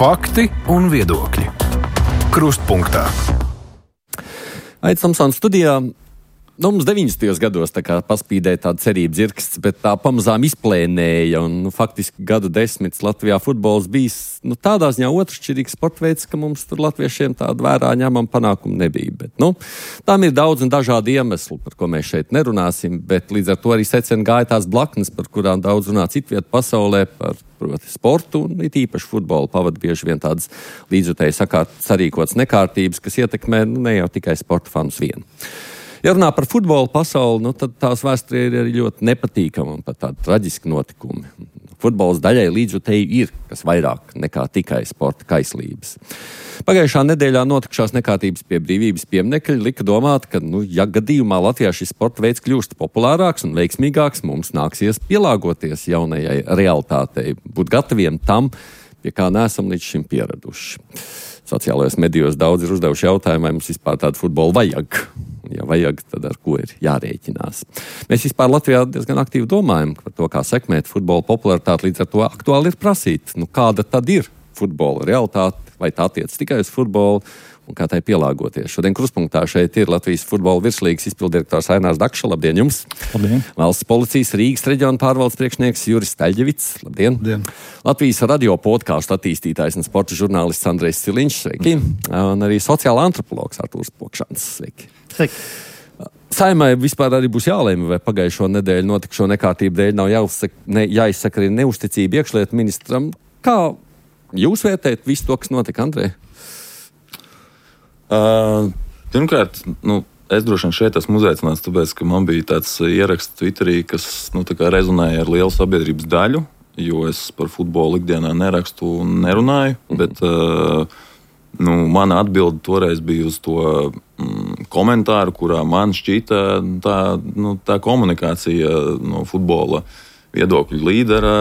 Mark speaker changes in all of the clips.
Speaker 1: Fakti un viedokļi. Krustpunktā.
Speaker 2: Aits Tomsons studijā. Mums 90. gados paspīdēja tāda cerība dzirksts, bet tā pamazām izplēnēja. Un, faktiski gadu desmitus Latvijā futbols bijis tādā ziņā otršķirīgs sporta veids, ka mums tur latviešiem tāda vērā ņemama panākuma nebija. Bet, tām ir daudz un dažādi iemesli, par ko mēs šeit nerunāsim, bet līdz ar to arī secen gāja tās blaknes, par kurām daudz runā citviet pasaulē, par proti sportu un it īpaši futbolu pavada bieži vien tādas līdzjutēji sarīkotas nekārtības, kas ietekmē ne jau tikai sporta fanus vienu. Ja runā par futbolu pasauli, tad tās vēsturē ir arī ļoti nepatīkama un pat tādi traģiski notikumi. Futbols daļai līdzjutēji ir, kas vairāk nekā tikai sporta kaislības. Pagājušā nedēļā notikušās nekārtības pie Brīvības pieminekļa lika domāt, ka, ja gadījumā Latvijā šis sporta veids kļūst populārāks un veiksmīgāks, mums nāksies pielāgoties jaunajai realitātei, būt gataviem tam, pie kā neesam līdz šim pieraduši. Sociālajos medijos daudz ir uzdevuši jautājumu, vai mums vispār tādu futbolu vajag. Ja vajag, tad ar ko ir jārēķinās. Mēs vispār Latvijā diezgan aktīvi domājam par to, kā sekmēt futbola popularitāti, līdz ar to aktuāli ir prasīt, kāda tad ir futbola realitāte, vai tā attiec tikai uz futbolu un kā tai pielāgoties. Šodien Krustpunktā šeit ir Latvijas futbola virslīgas izpildirektors Ainārs Dakša. Labdien jums!
Speaker 3: Labdien!
Speaker 2: Valsts policijas Rīgas reģiona pārvaldes priekšnieks Juris Staļģevits. Labdien!
Speaker 3: Labdien!
Speaker 2: Latvijas radio podkāstu attīstītājs un sporta žurnālists Andrejs Ciliņš. Sveiki! Un arī sociāla antropologs Artūrs Pokšāns. Sveiki!
Speaker 3: Sveiki!
Speaker 2: Saimai vispār arī būs jālēma, vai pagājušo nedēļu notikušo nekārtību dēļ nav jāizsaka arī neusticība iekšlietu ministram. Kā jūs vērtējat visu to, kas notika, Andrej?
Speaker 4: Pirmkārt, es droši vien šeit esmu uzaicināts, tāpēc, ka man bija tāds ieraksts Twitterī, kas rezonēja ar lielu sabiedrības daļu, jo es par futbolu ikdienā nerakstu un nerunāju, bet mana atbilde toreiz bija uz to komentāru, kurā man šķita tā komunikācija no futbola viedokļu līdera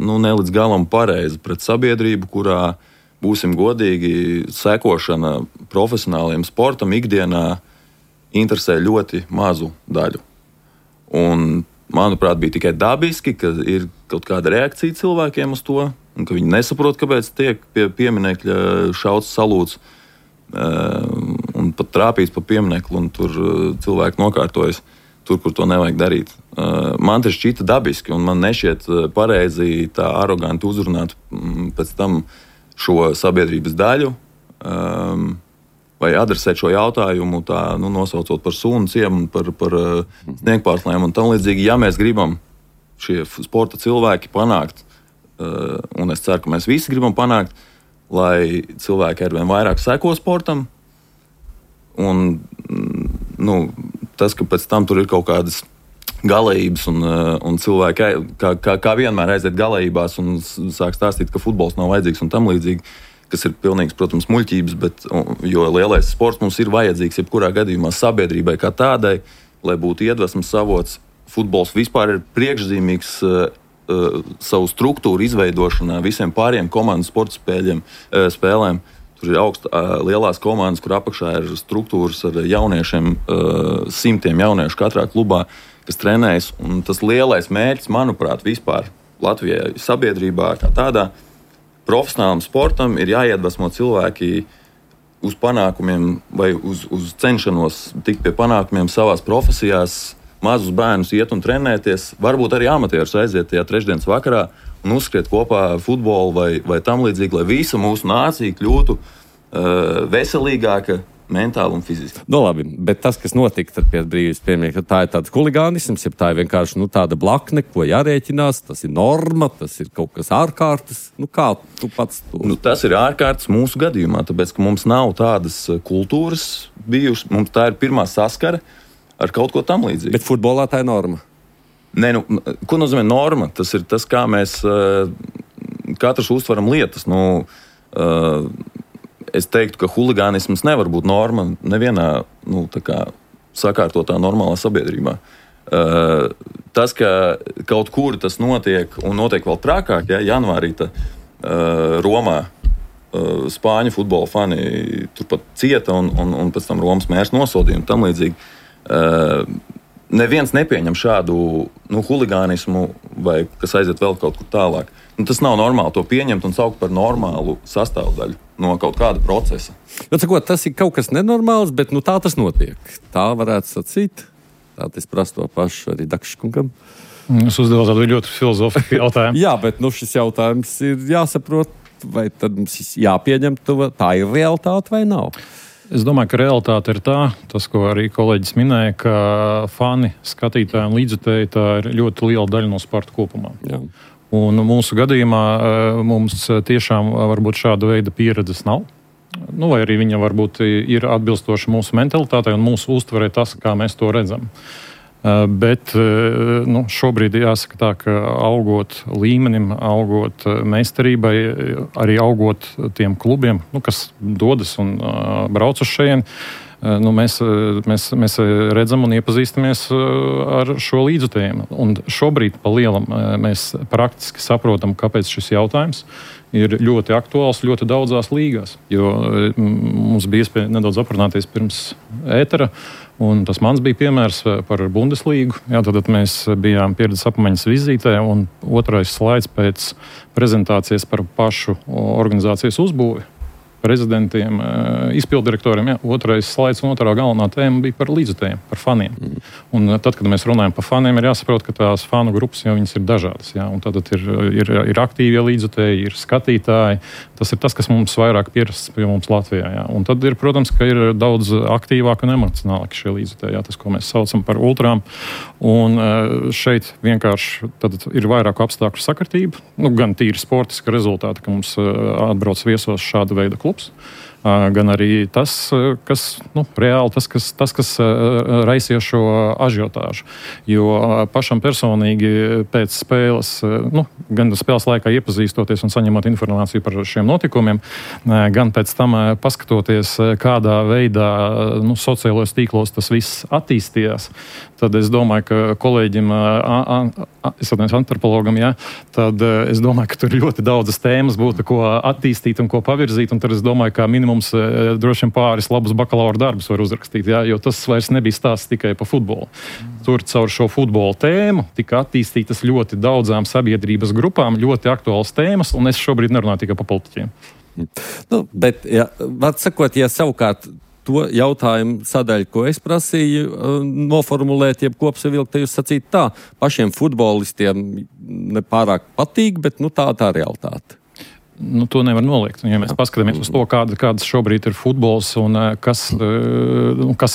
Speaker 4: ne līdz galam pareiza pret sabiedrību, kurā, būsim godīgi, sekošana profesionāliem sportam ikdienā interesē ļoti mazu daļu. Un, manuprāt, bija tikai dabiski, ka ir kaut kāda reakcija cilvēkiem uz to, un ka viņi nesaprot, kāpēc tiek pie pieminekļa šauts salūts un pat trāpīts pa pieminekli, un tur cilvēki nokārtojas tur, kur to nevajag darīt. Man tas šķita dabiski, un man nešķiet pareizi tā aroganti uzrunāt pēc tam šo sabiedrības daļu, vai adresēt šo jautājumu, nosaucot par sunu ciemu, par sniegpārslēm un tam līdzīgi. Ja mēs gribam šie sporta cilvēki panākt, un es ceru, ka mēs visi gribam panākt, lai cilvēki arvien vairāk seko sportam, un tas, ka pēc tam tur ir kaut kādas galējības un cilvēki kā vienmēr aiziet galējībās un sāk stāstīt, ka futbols nav vajadzīgs un tam līdzīgi, kas ir pilnīgs, protams, muļķības, jo lielais sports mums ir vajadzīgs jebkurā gadījumā sabiedrībai kā tādai, lai būtu iedvesmas avots. Futbols vispār ir priekšzīmīgs savu struktūru izveidošanā visiem pāriem komandu sporta spēlēm. Tur ir lielās komandas, kur apakšā ir struktūras ar jauniešiem, simtiem jauniešu katrā klubā, kas trenējas. Un tas lielais mērķis, manuprāt, vispār Latvijai sabiedrībā kā tādā profesionālam sportam ir jāiedvesmo cilvēki uz panākumiem vai uz cenšanos tikt pie panākumiem savās profesijās, mazus bērnus iet un trenēties, varbūt arī amatierus aiziet tajā trešdienas vakarā un uzskriet kopā futbolu vai tam līdzīgi, lai visa mūsu nācija kļūtu veselīgāka, mentāli un fiziski.
Speaker 2: Labi, bet tas, kas notika pie Brīvības pieminekļa, tā ir tāds huligānisms, ja tā ir vienkārši tāda blakne, ko jārēķinās, tas ir norma, tas ir kaut kas ārkārtas. Kā tu pats to?
Speaker 4: Tas ir ārkārtas mūsu gadījumā, tāpēc, ka mums nav tādas kultūras bijušas, mums tā ir pirmā saskara ar kaut ko tam līdzīgu.
Speaker 2: Bet futbolā tā ir norma?
Speaker 4: Nē, ko nozīmē norma? Tas ir tas, kā mēs katrs uztveram lietas. Es teiktu, ka huligānisms nevar būt norma nevienā sakārtotā normālā sabiedrībā. Tas, ka kaut kur tas notiek un notiek vēl trakāk, janvārī Romā spāņu futbola fani turpat cieta un pēc tam Romas mērs nosodīja un tam līdzīgi. neviens nepieņem šādu huligānismu vai kas aiziet vēl kaut kur tālāk. Tas nav normāli to pieņemt un saukt par normālu sastāvdaļu no kaut kāda procesa.
Speaker 2: Tas ir kaut kas nenormāls, bet tā tas notiek. Tā varētu sacīt. Tā es prasu to pašu arī Dakškungam.
Speaker 3: Es uzdevu tādu ļoti filozofisku jautājumu.
Speaker 2: Jā, bet šis jautājums ir jāsaprot, vai tad mums jāpieņem, tā ir realitāte vai nav?
Speaker 3: Es domāju, ka realitāte ir tas, ko arī kolēģis minēja, ka fani, skatītāji un līdzjutēji tā ir ļoti liela daļa no sporta kopumā.
Speaker 2: Jā.
Speaker 3: Un mūsu gadījumā mums tiešām varbūt šāda veida pieredzes nav. Vai arī viņa varbūt ir atbilstoša mūsu mentalitātei un mūsu uztverē tas, kā mēs to redzam. Bet šobrīd jāsaka tā, ka augot līmenim, augot meistarībai, arī augot tiem klubiem, kas dodas un brauc uz šejieni, mēs redzam un iepazīstamies ar šo līdzjutējiem. Un šobrīd pa lielam mēs praktiski saprotam, kāpēc šis jautājums ir ļoti aktuāls ļoti daudzās līgās. Jo mums bija iespēja nedaudz aprunāties pirms ētera, un tas mans bija piemērs par Bundeslīgu. Tad mēs bijām pieredzes apmaiņas vizītē, un otrais slaids pēc prezentācijas par pašu organizācijas uzbūvi. Prezidentiem, izpildirektoriem, otrais slaids un otrā galvenā tēma bija par līdzjutējiem, par faniem. Un tad, kad mēs runājam par faniem, ir jāsaprot, ka tās fanu grupas jau viņas ir dažādas. Un tad ir aktīvie līdzjutēji, ir skatītāji. Tas ir tas, kas mums vairāk pierasts pie mums Latvijā. Un tad ir, protams, ka ir daudz aktīvāk un emocionālāk šie līdzjutēji, tas, ko mēs saucam par ultrām. Un šeit vienkārši ir vairāku apstākļu sakritība, gan tīri sportiska rezultāta, ka mums atbrauc viesos šāda veida klubs, gan arī tas, kas reāli kas raisīja šo ažiotāžu. Jo pašam personīgi pēc spēles, gan spēles laikā iepazīstoties un saņemot informāciju par šiem notikumiem, gan pēc tam paskatoties, kādā veidā sociālajos tīklos tas viss attīstījās, tad es domāju, ka kolēģim, antropologam, tad es domāju, ka tur ļoti daudzas tēmas būtu, ko attīstīt un ko pavirzīt, un tad es domāju, ka minimums droši vien pāris labus bakalaura darbus var uzrakstīt, jo tas vairs nebija stāsts tikai par futbolu. Tur caur šo futbola tēmu tika attīstītas ļoti daudzām sabiedrības grupām, ļoti aktuāls tēmas, un es šobrīd nerunāju tikai par politiķiem.
Speaker 2: Bet, var sakot, savukārt to jautājumu sadaļu, ko es prasīju noformulēt, jeb kopsavilkt, jūs sacīt tā, pašiem futbolistiem nepārāk patīk, bet tā realitāte.
Speaker 3: To nevar noliegt. Ja mēs paskatāmies uz to, kādas šobrīd ir futbols un kas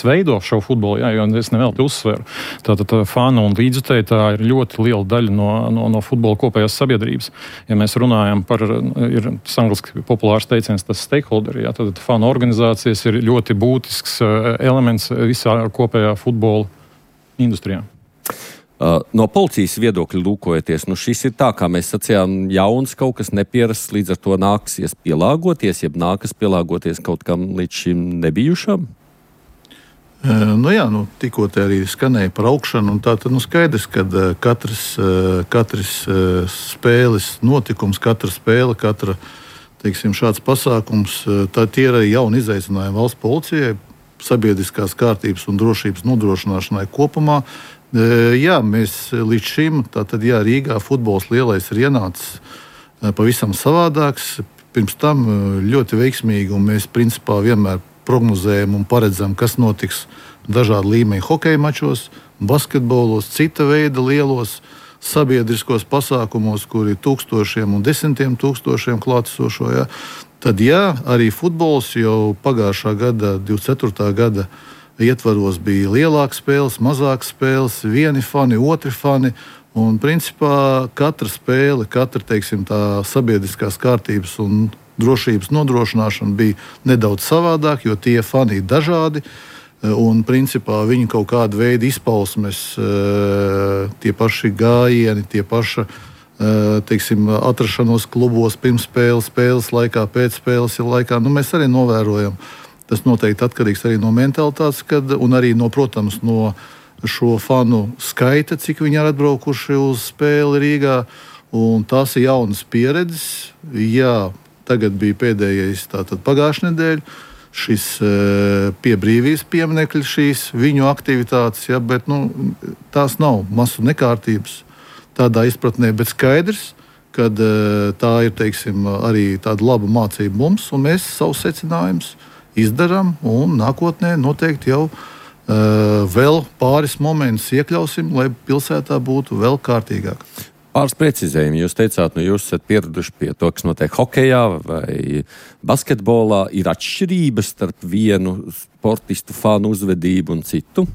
Speaker 3: veido šo futbolu, jo es nevelti uzsveru. Tātad fanu un līdzjutēji tā ir ļoti liela daļa no futbola kopējās sabiedrības. Ja mēs runājam par, ir angliski populārs teiciens, tas stakeholderi, tad fanu organizācijas ir ļoti būtisks elements visā kopējā futbola industrijā.
Speaker 2: No policijas viedokļa lūkojoties, šis ir tā, kā mēs sacījām, jauns kaut kas neparasts, līdz ar to nāksies pielāgoties, jeb nākas pielāgoties kaut kam līdz šim nebijušam?
Speaker 5: Tikko te arī skanēja par augšanu, un tā tad skaidrs, ka katrs spēles notikums, katra spēle, šāds pasākums, tā tie ir arī jauni izaicinājumi valsts policijai, sabiedriskās kārtības un drošības nodrošināšanai kopumā. Mēs līdz šim, Rīgā futbols lielais ir ienācis pavisam savādāks. Pirms tam ļoti veiksmīgi, un mēs principā vienmēr prognozējam un paredzam, kas notiks dažādu līmeņu hokeja mačos, basketbolos, cita veida lielos sabiedriskos pasākumos, kur ir tūkstošiem un desmitiem tūkstošiem klātesošo. Tad arī futbols jau pagājušā gada, 24. gada ietvaros bija lielākas spēles, mazākas spēles, vieni fani, otri fani. Un principā katra spēle, tā sabiedriskās kārtības un drošības nodrošināšana bija nedaudz savādāk, jo tie fani ir dažādi. Un principā viņu kaut kāda veida izpausmes, tie paši gājieni, tie paši atrašanos klubos pirms spēles laikā, pēc spēles laikā. Mēs arī novērojam. Tas noteikti atkarīgs arī no mentalitātes, un arī protams, no šo fanu skaita, cik viņi ir atbraukuši uz spēli Rīgā. Un tās ir jaunas pieredzes. Tagad bija pēdējais pagājušā nedēļa. šis pie brīvības pieminekļa šīs viņu aktivitātes, ja, bet tās nav masu nekārtības tādā izpratnē, bet skaidrs, kad tā ir, teiksim, arī tāda laba mācība mums, un mēs savus secinājumus izdarām, un nākotnē noteikti jau vēl pāris momentus iekļausim, lai pilsētā būtu vēl kārtīgāk.
Speaker 2: Pāris precizējumi. Jūs teicāt, jūs esat pieraduši pie to, kas notiek hokejā vai basketbolā. Ir atšķirības starp vienu sportistu fanu uzvedību un citu?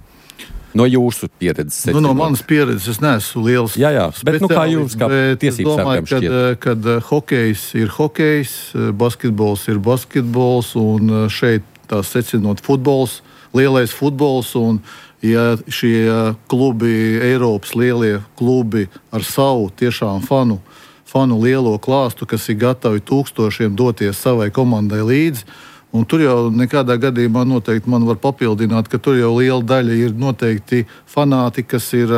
Speaker 2: No jūsu pieredzes.
Speaker 5: No manas pieredzes es neesmu liels.
Speaker 2: Jā, bet kā jums, kā tiesības sargam šķiet? Kad
Speaker 5: hokejs ir hokejs, basketbols ir basketbols, un šeit tā secinot futbols, lielais futbols, un ja šie klubi, Eiropas lielie klubi ar savu tiešām fanu lielo klāstu, kas ir gatavi tūkstošiem doties savai komandai līdzi, un tur jau nekādā gadījumā noteikti man var papildināt, ka tur jau liela daļa ir noteikti fanāti, kas ir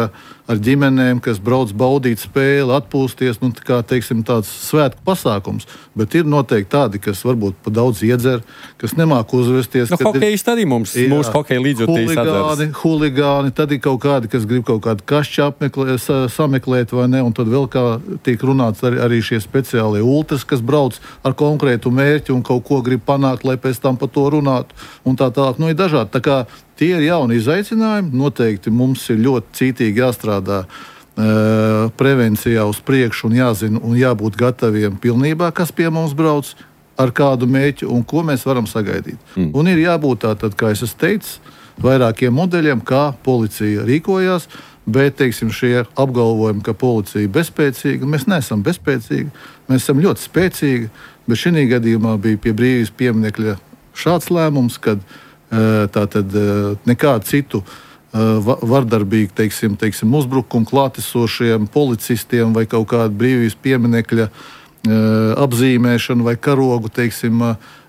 Speaker 5: ar ģimenēm, kas brauc baudīt spēli, atpūsties, kā, teiksim, tāds svētku pasākums. Bet ir noteikti tādi, kas varbūt pa daudz iedzer, kas nemāk uzvesties.
Speaker 2: Hokejisti arī mūsu hokeja līdzjūtīs atveras.
Speaker 5: Huligāni, tad ir kaut kādi, kas grib kaut kādu kašķi sameklēt, vai ne, un tad vēl kā tiek runāts arī šie speciālie ultras, kas brauc ar konkrētu mērķi un kaut ko grib panākt, lai pēc tam par to runātu, un tā tālāk. Ir dažādi. Tā kā tie ir jauni izaicinājumi. Noteikti mums ir ļoti cītīgi jāstrādā prevencijā uz priekšu un jāzina un jābūt gataviem pilnībā, kas pie mums brauc, ar kādu mērķi un ko mēs varam sagaidīt. Un ir jābūt tātad, kā es esmu teicis, vairākiem modeļiem, kā policija rīkojās, bet, teiksim, šie apgalvojumi, ka policija ir bezspēcīga, mēs neesam bezspēcīgi, mēs esam ļoti spēcīgi, bet šī gadījumā bija pie brīvības pieminekļa šāds lēmums, kad tātad nekādu citu vardarbīgu, teiksim, uzbrukumu klātesošiem policistiem vai kaut kādu brīvības pieminekļa apzīmēšanu vai karogu, teiksim,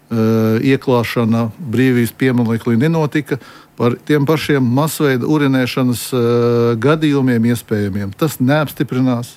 Speaker 5: ieklāšana brīvības pieminekļi nenotika. Par tiem pašiem masveida urinēšanas gadījumiem iespējamiem. Tas neapstiprinās.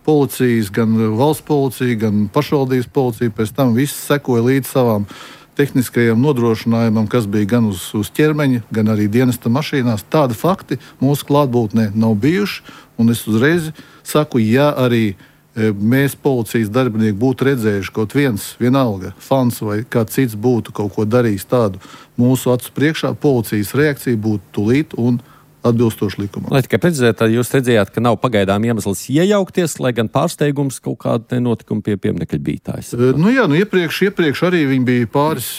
Speaker 5: Policijas, gan valsts policija, gan pašvaldības policija pēc tam viss sekoja līdz savām tehniskajam nodrošinājumam, kas bija gan uz ķermeņa, gan arī dienesta mašīnās. Tādi fakti mūsu klātbūtnē nav bijuši, un es uzreiz saku, ja arī mēs policijas darbinieki būtu redzējuši kaut vienalga fans vai kāds cits būtu kaut ko darījis tādu mūsu acu priekšā, policijas reakcija būtu tūlīt un atbilstoši likumam.
Speaker 2: Lai tikai precizētu, tad jūs redzējāt, ka nav pagaidām iemesls iejaukties, lai gan pārsteigums kaut kāda notikuma pie pieminekļa bija tājs.
Speaker 5: Iepriekš arī viņi bija pāris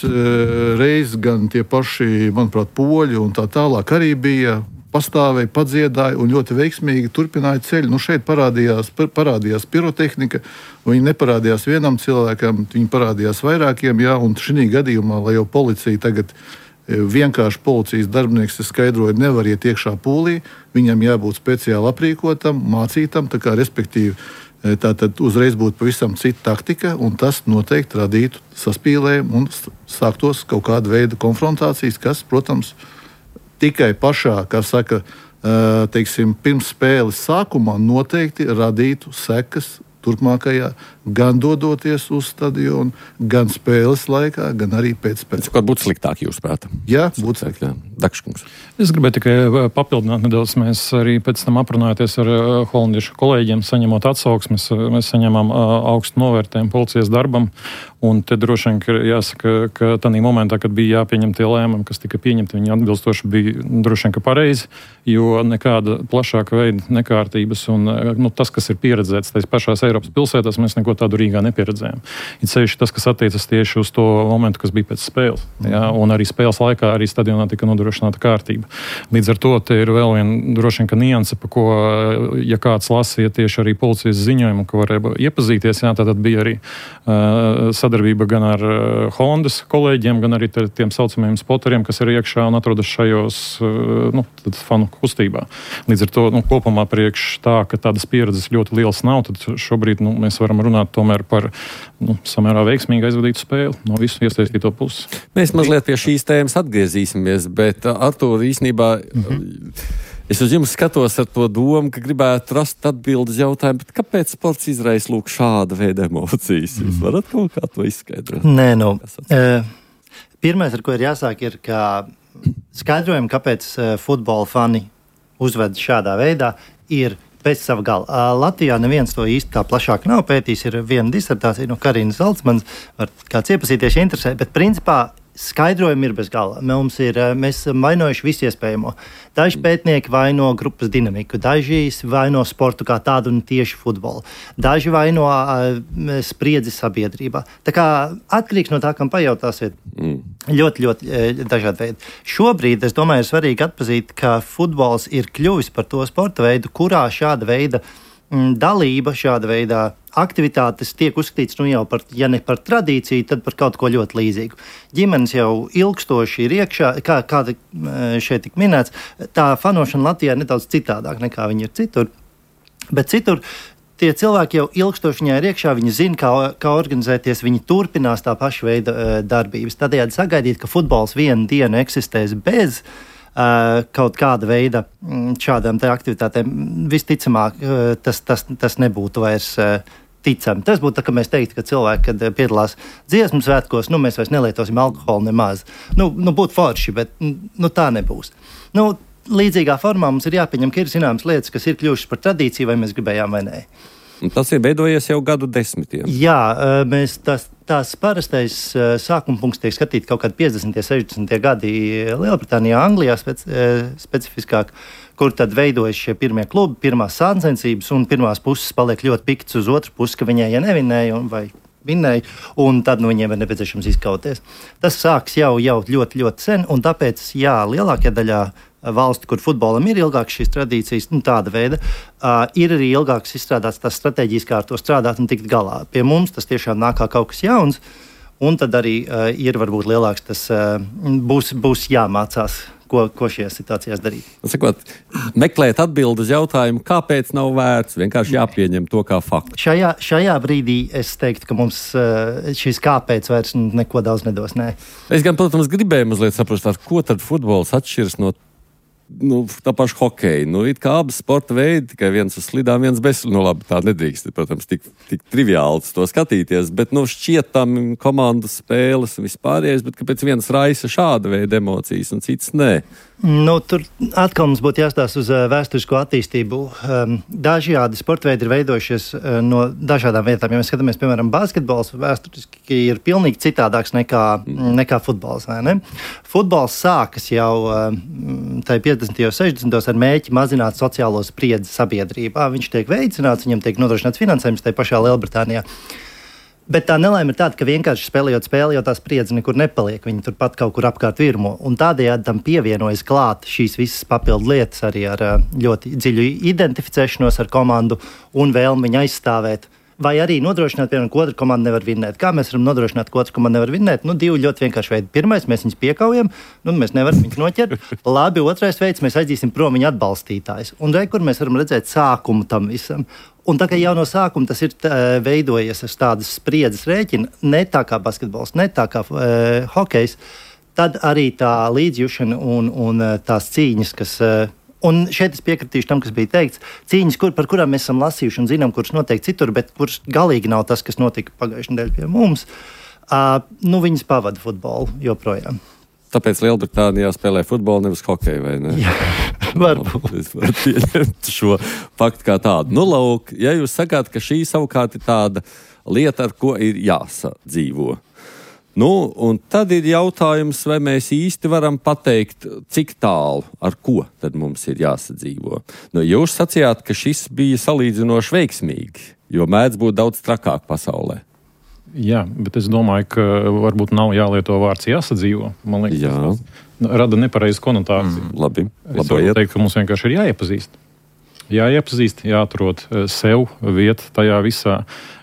Speaker 5: reizes, gan tie paši, manuprāt, poļi un tā tālāk arī bija, pastāvēja, padziedāja un ļoti veiksmīgi turpināja ceļu. Šeit parādījās pirotehnika, viņi neparādījās vienam cilvēkam, viņi parādījās vairākiem, un šī gadījumā, lai jau policija tagad vienkārši policijas darbinieks skaidroja, nevar iet iekšā pūlī, viņam jābūt speciāli aprīkotam, mācītam, tā kā respektīvi tātad uzreiz būtu pavisam cita taktika, un tas noteikti radītu saspīlējumu un sāktos kaut kāda veida konfrontācijas, kas, protams, tikai pašā, kā saka, teiksim, pirms spēles sākumā noteikti radītu sekas turpmākajā, gan dodoties uz stadionu, gan spēles laikā, gan arī pēc spēles.
Speaker 2: Kaut būtu sliktāk, jūs prāt?
Speaker 5: Jā, būtu sliktāk.
Speaker 2: Dakškungs.
Speaker 3: Es gribēju tikai papildināt nedaudz. Mēs arī pēc tam aprunājoties ar holandiešu kolēģiem, saņemot atsauksmes, mēs saņemam augstu novērtējumu policijas darbam, un te droši vien, ka jāsaka, ka tādā momentā, kad bija jāpieņem tie lēmumi, kas tika pieņemti, viņi atbilstoši bija droši vien, ka pareizi, jo nekāda plašāka veida nekārtības un tas, kas ir pieredzēts tais pašās Eiropas pilsētās, mēs neko tādu Rīgā nepieredzējām. Ir sevišķi tas, kas attiecas tieši uz to momentu, kas bija pēc spēles. Jā, un arī spēles laikā arī stadionā tika nodrošināta kārtība. Līdz ar to te ir vēl viena droši vien, ka nianse, pa ko, ja kāds lasīja tieši arī policijas ziņojumu, ka varēja iepazīties, tad bija arī sadarbība gan ar Hondas kolēģiem, gan arī tiem saucamajiem spoteriem, kas ir iekšā un atrodas šajos fanu kustībā. Līdz ar to kopumā priekš tā, ka tādas pieredzes ļoti liels nav, tad šobrīd mēs varam runāt tomēr par samērā veiksmīgi aizvadītu spēli no visu iesaistīto puses.
Speaker 2: Mēs mazliet pie šīs tēmas atgriezīsimies, bet Artūr, īstenībā es uz jums skatos ar to domu, ka gribētu rast atbildes jautājumu, bet kāpēc sports izraisa šāda veida emocijas? Jūs varat kaut kā to izskaidrot?
Speaker 6: Nē, Pirmais, ar ko ir jāsāk, ir, ka skaidrojumi, kāpēc futbola fani uzved šādā veidā, ir pēc sava gala. Latvijā neviens to īsti tā plašāk nav pētījis. Ir viena disertācija no Karinas Zaltsmanas, var kāds iepazīties, ja interesē, bet principā skaidrojumi ir bez gala. Mēs esam vainojuši visu iespējamo. Daži pētnieki vaino grupas dinamiku, daži vaino sportu kā tādu un tieši futbolu. Daži vaino spriedzi sabiedrībā. Tā kā atkarīgs no tā, kam pajautāsiet. Ļoti, ļoti dažādi veidi. Šobrīd, es domāju, ir svarīgi atpazīt, ka futbols ir kļuvis par to sporta veidu, kurā šāda veida dalība, šāda veida aktivitātes tiek uzskatīts jau par, ja ne par tradīciju, tad par kaut ko ļoti līdzīgu. Ģimenes jau ilgstoši ir iekšā, kā šeit tik minēts, tā fanošana Latvijā ir nedaudz citādāk nekā viņi ir citur. Bet citur tie cilvēki jau ilgstoši viņā ir iekšā, viņi zina, kā organizēties, viņi turpinās tā paša veida darbības. Tādējādi sagaidīt, ka futbols vienu dienu eksistēs bez kaut kāda veida šādām te aktivitātēm, visticamāk, tas nebūtu vairs ticami. Tas būtu tā, ka mēs teiktu, ka cilvēki, kad piedalās dziesmu svētkos, mēs vairs nelietosim alkoholu nemaz. Būtu forši, bet tā nebūs. Līdzīgā formā mums ir jāpieņem, ka ir zināmas lietas, kas ir kļuvušas par tradīciju, vai mēs gribējām vai nē.
Speaker 2: Tas ir veidojies jau gadu desmitiem.
Speaker 6: Jā, tās parastais sākuma punkts tiek skatīt kaut kādi 50. 60. gadi Lielbritānijā, Anglijā specifiskāk, kur tad veidojas šie pirmie klubi, pirmās sāncensības, un pirmās puses paliek ļoti pikts uz otru pusi, ka viņai, ja nevinēja vai vinnēja, un tad viņiem ir nepieciešams izkauties. Tas sāks jau ļoti, ļoti sen, un tāpēc, lielākajā daļā valsti, kur futbolam ir ilgākas šīs tradīcijas, tāda veida, ir arī ilgākas izstrādāts tās stratēģijas, kā ar to strādāt un tikt galā. Pie mums tas tiešām nāk kā kaut kas jauns, un tad arī ir varbūt lielāks tas būs jāmācās, ko šajās situācijās darīt.
Speaker 2: Sakot, meklēt atbildi uz jautājumu, kāpēc nav vērts, vienkārši jāpieņem to kā faktu.
Speaker 6: Šajā brīdī es teiktu, ka mums šis kāpēc vairs neko daudz nedos. Nē.
Speaker 2: Es gan, protams, gribēju mazliet saprast, ar ko tad futbols atšķiras no tā paša hokeja. It kā abas sporta veidi, tikai viens uz slidām, viens bez. Labi, tā nedrīkst, protams, tik triviāli to skatīties, bet šķiet tam komandu spēles un vispārējais, bet kāpēc viens raisa šāda veida emocijas un cits nē?
Speaker 6: Tur atkal mums būtu jāstāsta uz vēsturisko attīstību. Dažādi sporta veidi ir veidojušies no dažādām vietām. Ja mēs skatāmies, piemēram, basketbols vēsturiski ir pilnīgi citādāks nekā futbols. Futbols sākas jau 50. un 60. ar mēķi mazināt sociālo spriedzi sabiedrībā. Viņš tiek veicināts, viņam tiek nodrošināts finansējums tajā pašā Lielbritānijā. Bet tā nelaime ir tāda, ka vienkārši spēlējot spēli, jau tā spriedze nekur nepaliek. Viņi turpat kaut kur apkārt virmo. Un tādējādi tam pievienojas klāt šīs visas papildu lietas arī ar ļoti dziļu identificēšanos ar komandu un vēlmi viņu aizstāvēt. Vai arī nodrošināt, piemēram, ka otra komanda nevar vinnēt. Kā mēs varam nodrošināt, ka otra komanda nevar vinnēt? Divi ļoti vienkārši veidi. Pirmais, mēs viņus piekaujam, mēs nevaram viņus noķert. Labi, otrais veids, mēs aizdīsim prom viņa atbalstītājus. Un kur mēs varam redzēt sākumu tam visam. Un tā kā jau no sākuma tas ir veidojies ar tādas spriedzes rēķina, ne tā kā basketbols, ne tā kā hokejs, tad arī tā līdzjūšana un tās cīņas, kas... Un šeit es piekritīšu tam, kas bija teikts, cīņas, par kurām mēs esam lasījuši un zinām, kuras notiek citur, bet kuras galīgi nav tas, kas notika pagājušajā nedēļā pie mums, viņas pavada futbolu joprojām.
Speaker 2: Tāpēc Lielbritānijā spēlē futbolu, nevis hokeju, vai ne?
Speaker 6: Jā, varbūt.
Speaker 2: Es varu pieņemt šo faktu kā tādu. Lūk, ja jūs sakāt, ka šī savukārt ir tāda lieta, ar ko ir jāsadzīvo. Un tad ir jautājums, vai mēs īsti varam pateikt, cik tālu, ar ko tad mums ir jāsadzīvo. Jūs sacījāt, ka šis bija salīdzinoši veiksmīgi, jo mēdz būt daudz trakāk pasaulē.
Speaker 3: Jā, bet es domāju, ka varbūt nav jālieto vārds jāsadzīvo. Man liekas, tas rada nepareizu konotāciju.
Speaker 2: Labi.
Speaker 3: Es varu teikt, ka mums vienkārši ir jāiepazīst. Jāatrod sev vietu tajā visā,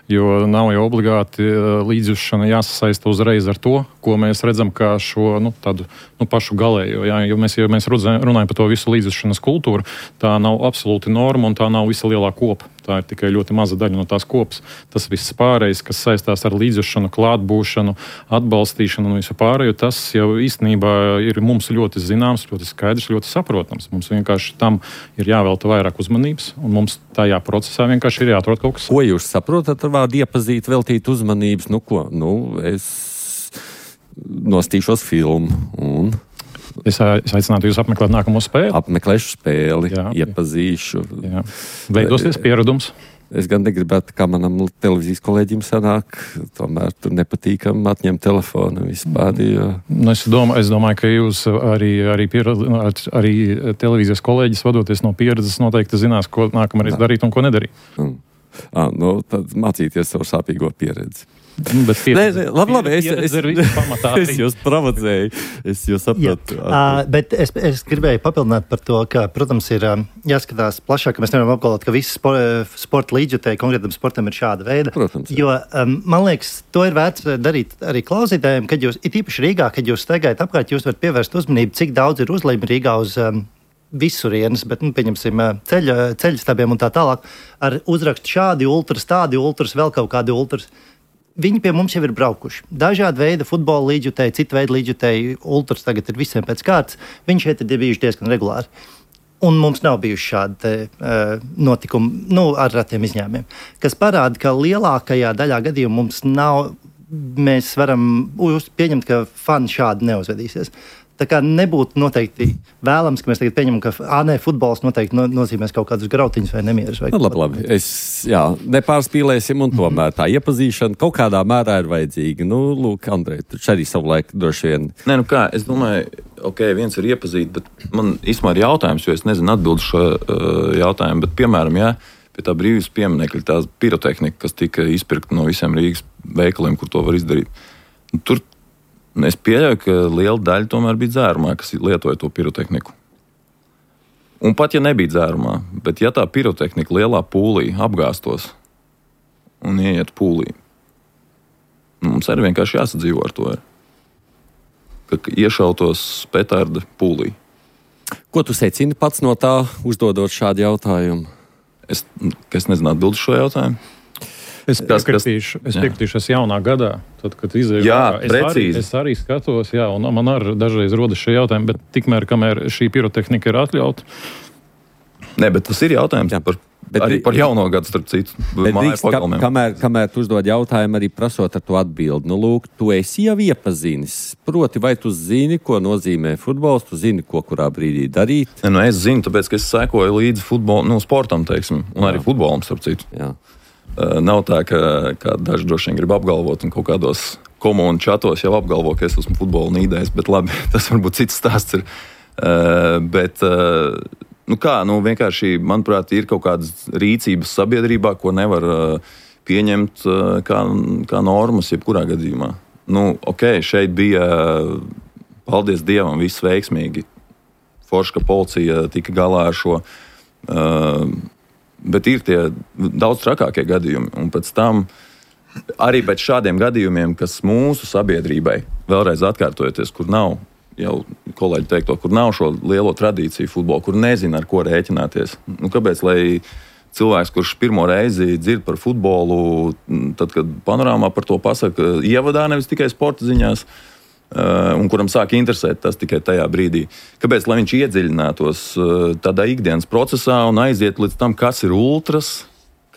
Speaker 3: jo nav jau obligāti līdzjūšana jāsasaista uzreiz ar to, ko mēs redzam kā šo tādu pašu galējo. Jo mēs runājam par to visu līdzjūšanas kultūru, tā nav absolūti norma un tā nav visa lielā kopa. Tā ir tikai ļoti maza daļa no tās kopas. Tas viss pārējais, kas saistās ar līdzjūšanu, klātbūšanu, atbalstīšanu un visu pārējo, tas jau īstenībā ir mums ļoti zināms, ļoti skaidrs, ļoti saprotams. Mums vienkārši tam ir jāvelta vairāk uzmanības, un mums tajā procesā vienkārši ir jāatrod kaut kas.
Speaker 2: Ko jūs saprotat ar vārdu iepazīt, veltīt uzmanības? nostīšos filmu un
Speaker 3: Es aicinātu jūs apmeklēt nākamo spēli.
Speaker 2: apmeklēšu spēli,
Speaker 3: Jā.
Speaker 2: iepazīšu.
Speaker 3: Jā. Veidosies pieredums.
Speaker 2: Es gan negribētu, kā manam televīzijas kolēģim sanāk, tomēr tur nepatīkam atņemt telefonu vispār. Jo...
Speaker 3: Es domāju, ka jūs arī televīzijas kolēģis vadoties no pieredzes noteikti zinās, ko nākamreiz darīt un ko nedarīt.
Speaker 2: Tad mācīties savu sāpīgo pieredzi.
Speaker 3: Bet
Speaker 2: Labi,
Speaker 3: es
Speaker 2: es jūs provocēju, es jūs sapratu.
Speaker 6: Bet es gribēju papildināt par to, ka, protams, ir jāskatās plašāk, ka mēs nevaram apgalvot, ka visi sporta līdzjutēji konkrētam sportam ir šāda veida.
Speaker 2: Protams.
Speaker 6: Jo, man liekas, to ir vērts darīt arī klausītājiem, kad jūs, it īpaši Rīgā, kad jūs staigājat apkārt, jūs varat pievērst uzmanību, cik daudz ir uzlīmi Rīgā uz visurienes, bet, pieņemsim, ceļstabiem un tā tālāk, ar uzrakstu šādi ultras, tādi ultras, vēl kaut kādi ultras. Viņi pie mums jau ir braukuši. Dažādi veidi futbola līdzjutēji, citu veidu līdzjutēji, ultras tagad ir visiem pēc kārtas. Viņi šeit ir bijuši diezgan regulāri. Un mums nav bijuši šādi notikumi, ar ratiem izņēmumiem, kas parāda, ka lielākajā daļā gadījumu mums nav, mēs varam pieņemt, ka fani šādi neuzvedīsies. Tā kā nebūtu noteikti vēlams, ka mēs tagad pieņemam, ka futbols noteikti nozīmēs kaut kādus grautiņus vai nemierus.
Speaker 2: Labi. Nepārspīlēsim, un tomēr tā iepazīšana kaut kādā mērā ir vajadzīga. Lūk, Andrej, tu arī savulaik droši vien.
Speaker 4: Es domāju, viens ir iepazīt, bet man īstenībā ir jautājums, jo es nezinu atbildu šo jautājumu, bet, piemēram, pie tā brīvības pieminekļa, tā pirotehnika, kas tika izpirkta no visiem Rīgas veikaliem, kur to var izdarīt. Tur es pieļauju, ka liela daļa tomēr bija dzērumā, kas lietoja to pirotehniku. Un pat ja nebija dzērumā, bet ja tā pirotehnika lielā pūlī apgāstos un ieiet pūlī, mums arī vienkārši jāsadzīvo ar to, ka iešautos petarda pūlī.
Speaker 2: Ko tu secini pats no tā, uzdodot šādu jautājumu?
Speaker 4: Es nezinu atbildu šo jautājumu.
Speaker 3: Es piekritīšu jaunā gadā, tad, kad izēju.
Speaker 4: Precīzi.
Speaker 3: Es arī skatos, un man arī dažreiz rodas šie jautājumi, bet tikmēr, kamēr šī pirotehnika ir atļauta.
Speaker 4: Nē, bet tas ir jautājums par jauno gadu, starp citu.
Speaker 2: Kamēr tu uzdod jautājumu, arī prasot ar to atbildi. Lūk, tu esi jau iepazinis. Proti, vai tu zini, ko nozīmē futbols, tu zini, ko kurā brīdī darīt?
Speaker 4: Es zinu, tāpēc, ka es sekoju līdzi sportam, teiksim, un arī futbolam, starp citu.
Speaker 2: Jā.
Speaker 4: Nav tā, ka daži droši vien grib apgalvot, un kaut kādos komunu čatos jau apgalvo, ka es esmu futbola nīdējis, bet labi, tas varbūt cits stāsts ir. Vienkārši, manuprāt, ir kaut kādas rīcības sabiedrībā, ko nevar pieņemt kā normas jebkurā gadījumā. Šeit bija, paldies Dievam, viss veiksmīgi. Forši, ka policija tika galā ar šo. Bet ir tie daudz trakākie gadījumi. Un pēc tam, arī pēc šādiem gadījumiem, kas mūsu sabiedrībai, vēlreiz atkārtojoties, kur nav, jau kolēģi teikto, kur nav šo lielo tradīciju futbolu, kur nezina, ar ko rēķināties. Kāpēc, lai cilvēks, kurš pirmo reizi dzird par futbolu, tad, kad panorāmā par to pasaka ievadā, nevis tikai sporta ziņās, un kuram sāk interesēt tas tikai tajā brīdī. Kāpēc, lai viņš iedziļinātos tādā ikdienas procesā un aiziet līdz tam, kas ir ultras,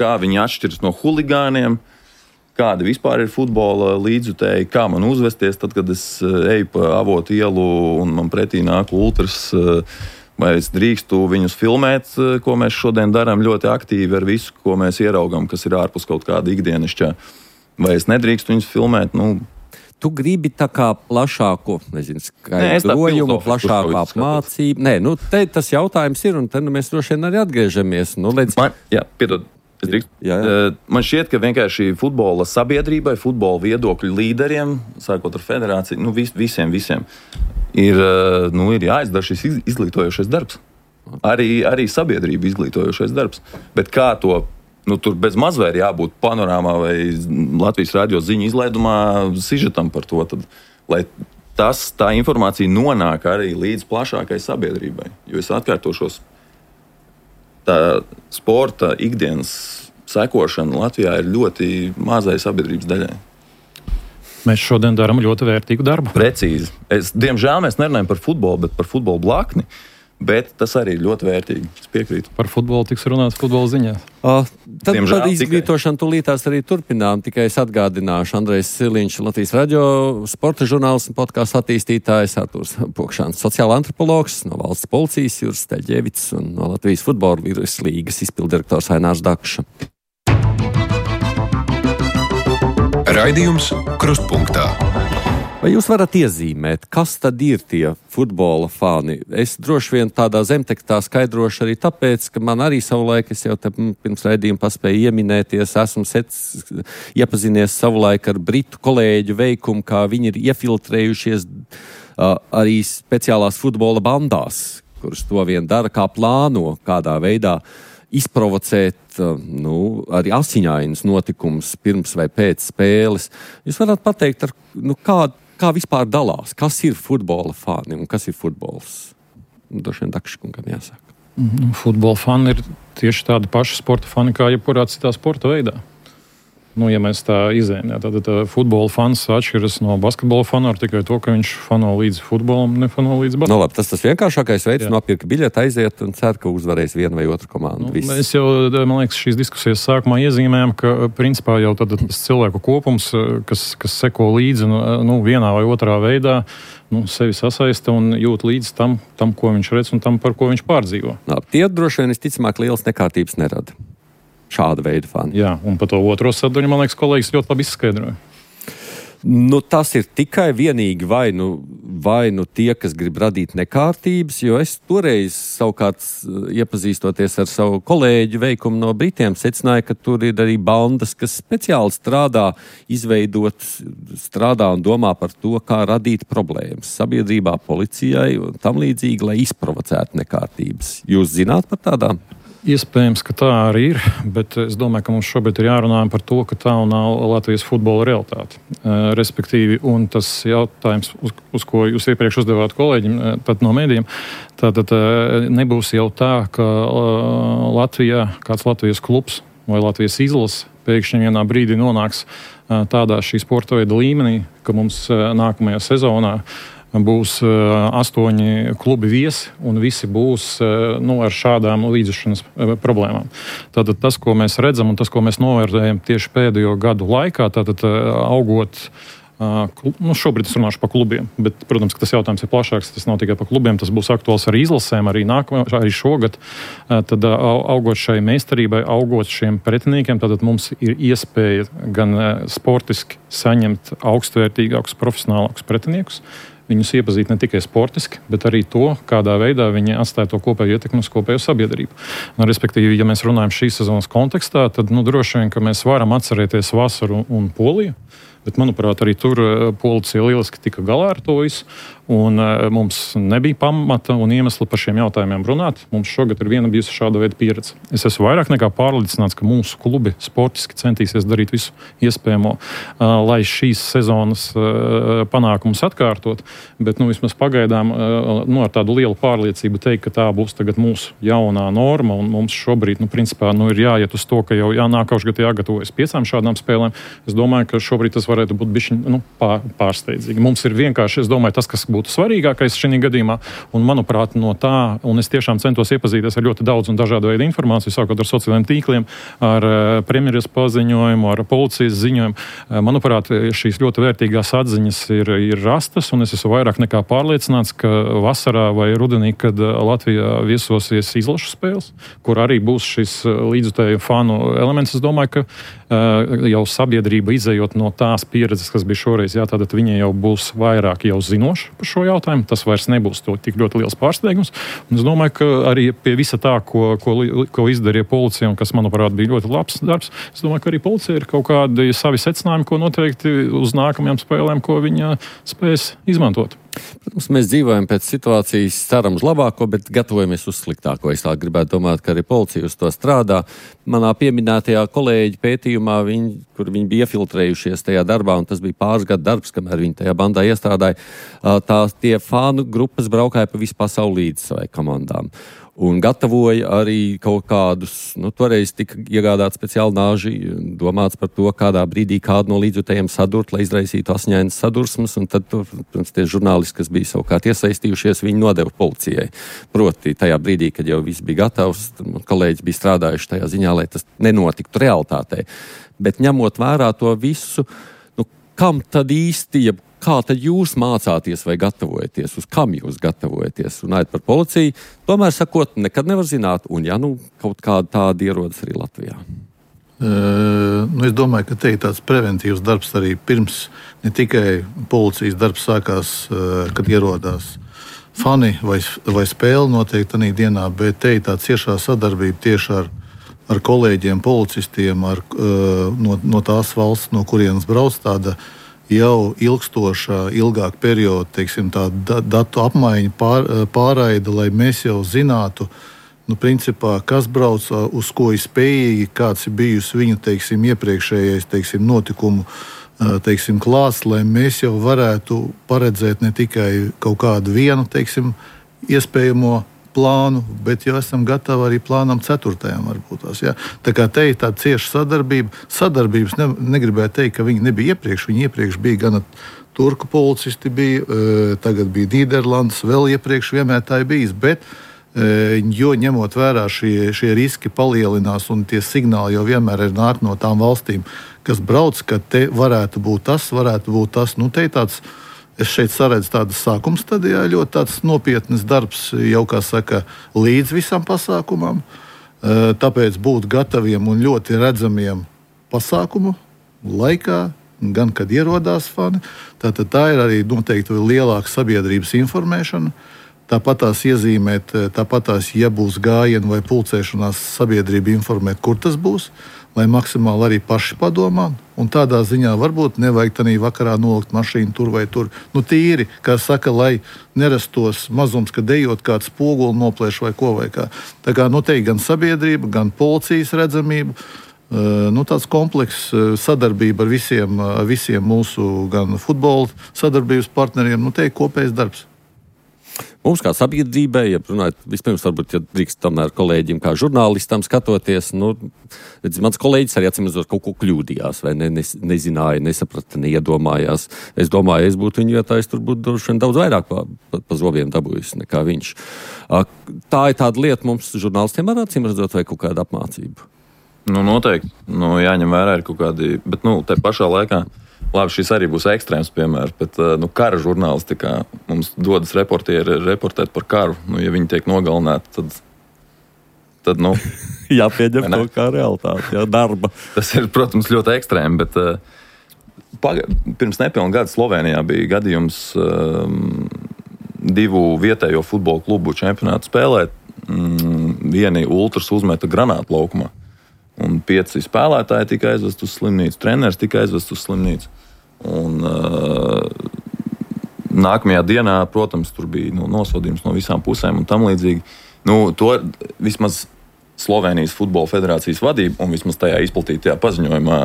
Speaker 4: kā viņi atšķiras no huligāniem, kāda vispār ir futbola līdzjutēji, kā man uzvesties tad, kad es eju pa Avotu ielu un man pretī nāk ultras, vai es drīkstu viņus filmēt, ko mēs šodien darām ļoti aktīvi ar visu, ko mēs ieraugam, kas ir ārpus kaut kāda ikdienišķā, vai es nedrīkstu viņus filmēt,
Speaker 2: Tu gribi tā kā plašāku, skaidrojumu, plašāku apmācību. Tas jautājums ir, un te mēs droši vien arī atgriežamies.
Speaker 4: Piedod, es drīkstu. Man šķiet, ka vienkārši futbola sabiedrībai, futbola viedokļu līderiem, sākot ar federāciju, visiem ir jāizdara šis izglītojošais darbs. Arī sabiedrība izglītojošais darbs. Bet kā to tur bez mazvē ir jābūt panorāmā vai Latvijas radio ziņu izlaidumā sižetam par to, tad, lai tā informācija nonāk arī līdz plašākai sabiedrībai. Jo es atkārtošos, tā sporta ikdienas sekošana Latvijā ir ļoti mazai sabiedrības daļai.
Speaker 3: Mēs šodien darām ļoti vērtīgu darbu.
Speaker 4: Precīzi. Diemžēl mēs nerunājam par futbolu, bet par futbola blakni. Bet tas arī ir ļoti vērtīgi. Es piekrītu.
Speaker 3: Par futbolu tiks runāts futbola ziņā.
Speaker 2: Tad par izglītošanu tūlītās arī turpinām. Tikai es atgādināšu, Andrejs Siliņš, Latvijas radio sporta žurnāls un podkāstu attīstītājs, Artūrs Pokšāns, sociāla antropologs, no valsts policijas Juris Steļģevics un no Latvijas futbola virslīgas izpildirektors Ainārs Dakša.
Speaker 1: Raidījums Krustpunktā.
Speaker 2: Vai jūs varat iezīmēt, kas tad ir tie futbola fani? Es droši vien tādā zemtekstā skaidrošu arī tāpēc, ka man arī savulaik, es jau te pirms raidījuma paspēju ieminēties, esmu iepazinies savulaik ar britu kolēģu veikumu, kā viņi ir iefiltrējušies arī speciālās futbola bandās, kuras to vien dara, kā plāno, kādā veidā izprovocēt arī asiņainus notikumus pirms vai pēc spēles. Jūs varat pateikt, kā vispār dalās, kas ir futbola fani un kas ir futbols? Droši vien Dakškungam jāsaka.
Speaker 3: Futbola fani ir tieši tādi paši sporta fani, kā jebkurā citā sporta veidā. Ja mēs tā izējam, tad futbola fans atšķiras no basketbola fana ar tikai to, ka viņš fano līdz futbolam, nefano līdz basketbolam.
Speaker 2: Labi, tas vienkāršākais veids nopirkt biļeti, aiziet un cer, ka uzvarēs vienu vai otru komandu.
Speaker 3: Mēs jau, man liekas, šīs diskusijas sākumā iezīmējam, ka principā jau tad tas cilvēku kopums, kas seko līdzi vienā vai otrā veidā, sevi sasaista un jūt līdz tam, ko viņš redz un tam, par ko viņš pārdzīvo.
Speaker 2: Tie droši vien visticamāk lielas nekārtības nerada. Šāda veida fani.
Speaker 3: Jā, un par to otro sadaļu, man liekas, kolēģis ļoti labi izskaidroja.
Speaker 2: Tas ir tikai vienīgi vai nu tie, kas grib radīt nekārtības, jo es toreiz savukārt iepazīstoties ar savu kolēģu veikumu no Britiem, secināju, ka tur ir arī bandas, kas speciāli strādā un domā par to, kā radīt problēmas sabiedrībā, policijai un tam līdzīgi, lai izprovocētu nekārtības. Jūs zināt par tādām?
Speaker 3: Iespējams, ka tā arī ir, bet es domāju, ka mums šobrīd ir jārunā par to, ka tā nav Latvijas futbola realitāte. Respektīvi, un tas jautājums, uz ko jūs iepriekš uzdevāt kolēģim, pat no mēdījiem, tātad nebūs jau tā, ka Latvijā kāds Latvijas klubs vai Latvijas izlase pēkšņi vienā brīdī nonāks tādā šī sporta veida līmenī, ka mums nākamajā sezonā būs 8 klubi viesi, un visi būs ar šādām līdzšanas problēmām. Tātad tas, ko mēs redzam, un tas, ko mēs novērtējam tieši pēdējo gadu laikā, tātad augot, šobrīd es runāšu par klubiem, bet, protams, ka tas jautājums ir plašāks, tas nav tikai par klubiem, tas būs aktuāls arī izlasēm, arī šogad, tad augot šai meistarībai, augot šiem pretiniekiem, tātad mums ir iespēja gan sportiski saņemt augstvērtīgākus, profesionālākus pretiniekus, viņus iepazīt ne tikai sportiski, bet arī to, kādā veidā viņi atstāja to kopēju ietekmi uz kopējo sabiedrību. Respektīvi, ja mēs runājam šīs sezonas kontekstā, tad droši vien, ka mēs varam atcerēties vasaru un Poliju, bet, manuprāt, arī tur policija lieliski tika galā ar to visu, un mums nebija pamata un iemesla par šiem jautājumiem runāt. Mums šogad ir viena bijusi šāda veida pieredze. Es esmu vairāk nekā pārliecināts, ka mūsu klubi sportiski centīsies darīt visu iespējamo, lai šīs sezonas panākumus atkārtot, bet vismaz pagaidām ar tādu lielu pārliecību teikt, ka tā būs tagad mūsu jaunā norma, un mums šobrīd, principā, ir jāiet uz to, ka jau nākošais gads jāgatavojas 5 šādām spēlēm. Es domāju, ka šobrīd tas varētu būt bišķiņ pārsteidzīgi. Mums ir vienkārši, es domāju, tas, kas būtu svarīgākais šajā gadījumā, un, manuprāt, no tā, un es tiešām centos iepazīties ar ļoti daudz un dažādu veidu informāciju, sākot ar sociālajiem tīkliem, ar premjeras paziņojumu, ar policijas ziņojumu. Manuprāt, šīs ļoti vērtīgās atziņas ir rastas, un es esmu vairāk nekā pārliecināts, ka vasarā vai rudenī, kad Latvijā viesosies izlašu spēles, kur arī būs šis līdzutēju fanu elements, es domāju, ka jau sabiedrība izējot no tās pieredzes, kas bija šoreiz, tātad viņi jau būs vairāk jau zinoši par šo jautājumu. Tas vairs nebūs tik ļoti liels pārsteigums. Un es domāju, ka arī pie visa tā, ko izdarīja policija, un kas, manuprāt, bija ļoti labs darbs, es domāju, ka arī policija ir kaut kādi savi secinājumi, ko noteikti uz nākamajām spēlēm, ko viņa spēs izmantot.
Speaker 2: Protams, mēs dzīvojam pēc situācijas, ceram uz labāko, bet gatavojamies uz sliktāko. Es tā gribētu domāt, ka arī policija uz to strādā. Manā pieminētajā kolēģi pētījumā, kur viņi bija iefiltrējušies tajā darbā, un tas bija pāris gadu darbs, kamēr viņi tajā bandā iestrādāja, tie fānu grupas braukāja pa visu pasauli līdz savai komandām. un gatavoja arī kaut kādus, toreiz tika iegādāts speciāli nāži, domāts par to, kādā brīdī kādu no līdzjutējiem sadurt, lai izraisītu asiņainas sadursmes, un tad, protams, tie žurnālisti, kas bija savukārt iesaistījušies, viņi nodeva policijai. Proti, tajā brīdī, kad jau viss bija gatavs, kolēģis bija strādājuši tajā ziņā, lai tas nenotiktu realitātei. Bet ņemot vērā to visu, kam tad īsti, kā tad jūs mācāties vai gatavojaties, uz kam jūs gatavojaties? Runājot par policiju, tomēr sakot, nekad nevar zināt, un kaut kāda tāda ierodas arī Latvijā.
Speaker 5: Es domāju, ka te ir tāds preventīvs darbs arī pirms ne tikai policijas darbs sākās, kad ierodās fani vai spēle noteikti tādā dienā, bet te ir tā ciešā sadarbība tieši ar kolēģiem, policistiem, no tās valsts, no kurienes brauc tāda jau ilgstoša, ilgāka perioda, teiksim, tā datu apmaiņa, pārraide, lai mēs jau zinātu, principā, kas brauc, uz ko ir spējīgi, kāds ir bijusi viņu, teiksim, iepriekšējais, teiksim, notikumu, teiksim, klāsts, lai mēs jau varētu paredzēt ne tikai kaut kādu vienu, teiksim, iespējamo plānu, bet jau esam gatavi arī plānam 4. varbūt tās. Ja? Tā kā te ir tāda cieša sadarbība. Sadarbības negribēju teikt, ka viņi nebija iepriekš. Viņi iepriekš bija gan turku policisti, tagad bija Nīderlandes, vēl iepriekš vienmēr tā ir bijis. Bet, jo ņemot vērā šie riski palielinās un tie signāli jau vienmēr ir nāk no tām valstīm, kas brauc, ka te varētu būt tas. Te ir tāds. Es šeit saredzu tādas sākuma stadijā, ļoti tāds nopietnas darbs, jau kā saka, līdz visam pasākumam. Tāpēc būt gataviem un ļoti redzamiem pasākumu laikā, gan kad ierodās fani. Tātad tā ir arī noteikti lielāka sabiedrības informēšana. Tāpat tās iezīmēt, ja būs gājieni vai pulcēšanās, sabiedrība informēt, kur tas būs, lai maksimāli arī paši padomā. Un tādā ziņā varbūt nevajag tādā vakarā nolikt mašīnu tur vai tur. Tīri, kā saka, lai nerastos mazums, ka dejot kāds spoguli noplēš vai ko vai kā. Tā kā te ir gan sabiedrība, gan policijas redzamība, tāds komplekss sadarbība ar visiem mūsu gan futbola sadarbības partneriem. Te ir kopējs darbs.
Speaker 2: Mums kā sabiedrībai, ja runājot, vispirms varbūt, ja drīkst tomēr kolēģim kā žurnālistam skatoties, mans kolēģis arī atsimazot kaut ko kļūdījās, vai nezināja, nesaprata, neiedomājās. Es domāju, es būtu viņa vietā, es tur būtu daudz vairāk pa zobiem dabūjis nekā viņš. Tā ir tāda lieta mums žurnālistiem ar atsimazot vai kaut kāda apmācība?
Speaker 4: Noteikti. Jāņem vērā ir kaut kādi, bet te pašā laikā. Labi, šis arī būs ekstrēms piemērs, bet kara žurnālistikā mums dodas reportieri reportēt par karu. Ja viņi tiek nogalināti, tad
Speaker 2: jāpieņem to kā realitāte, darba.
Speaker 4: Tas ir, protams, ļoti ekstrēmi, bet pirms nepilna gada Slovenijā bija gadījums 2 vietējo futbola klubu čempionātu spēlēt. Vieni ultras uzmeta granātu laukumā. Un 5 spēlētāji tika aizvest uz slimnīcu, treneris tika aizvest uz slimnīcu. Un nākamajā dienā, protams, tur bija nosodījums no visām pusēm un tam līdzīgi. To vismaz Slovenijas futbola federācijas vadība un vismaz tajā izplatītajā paziņojumā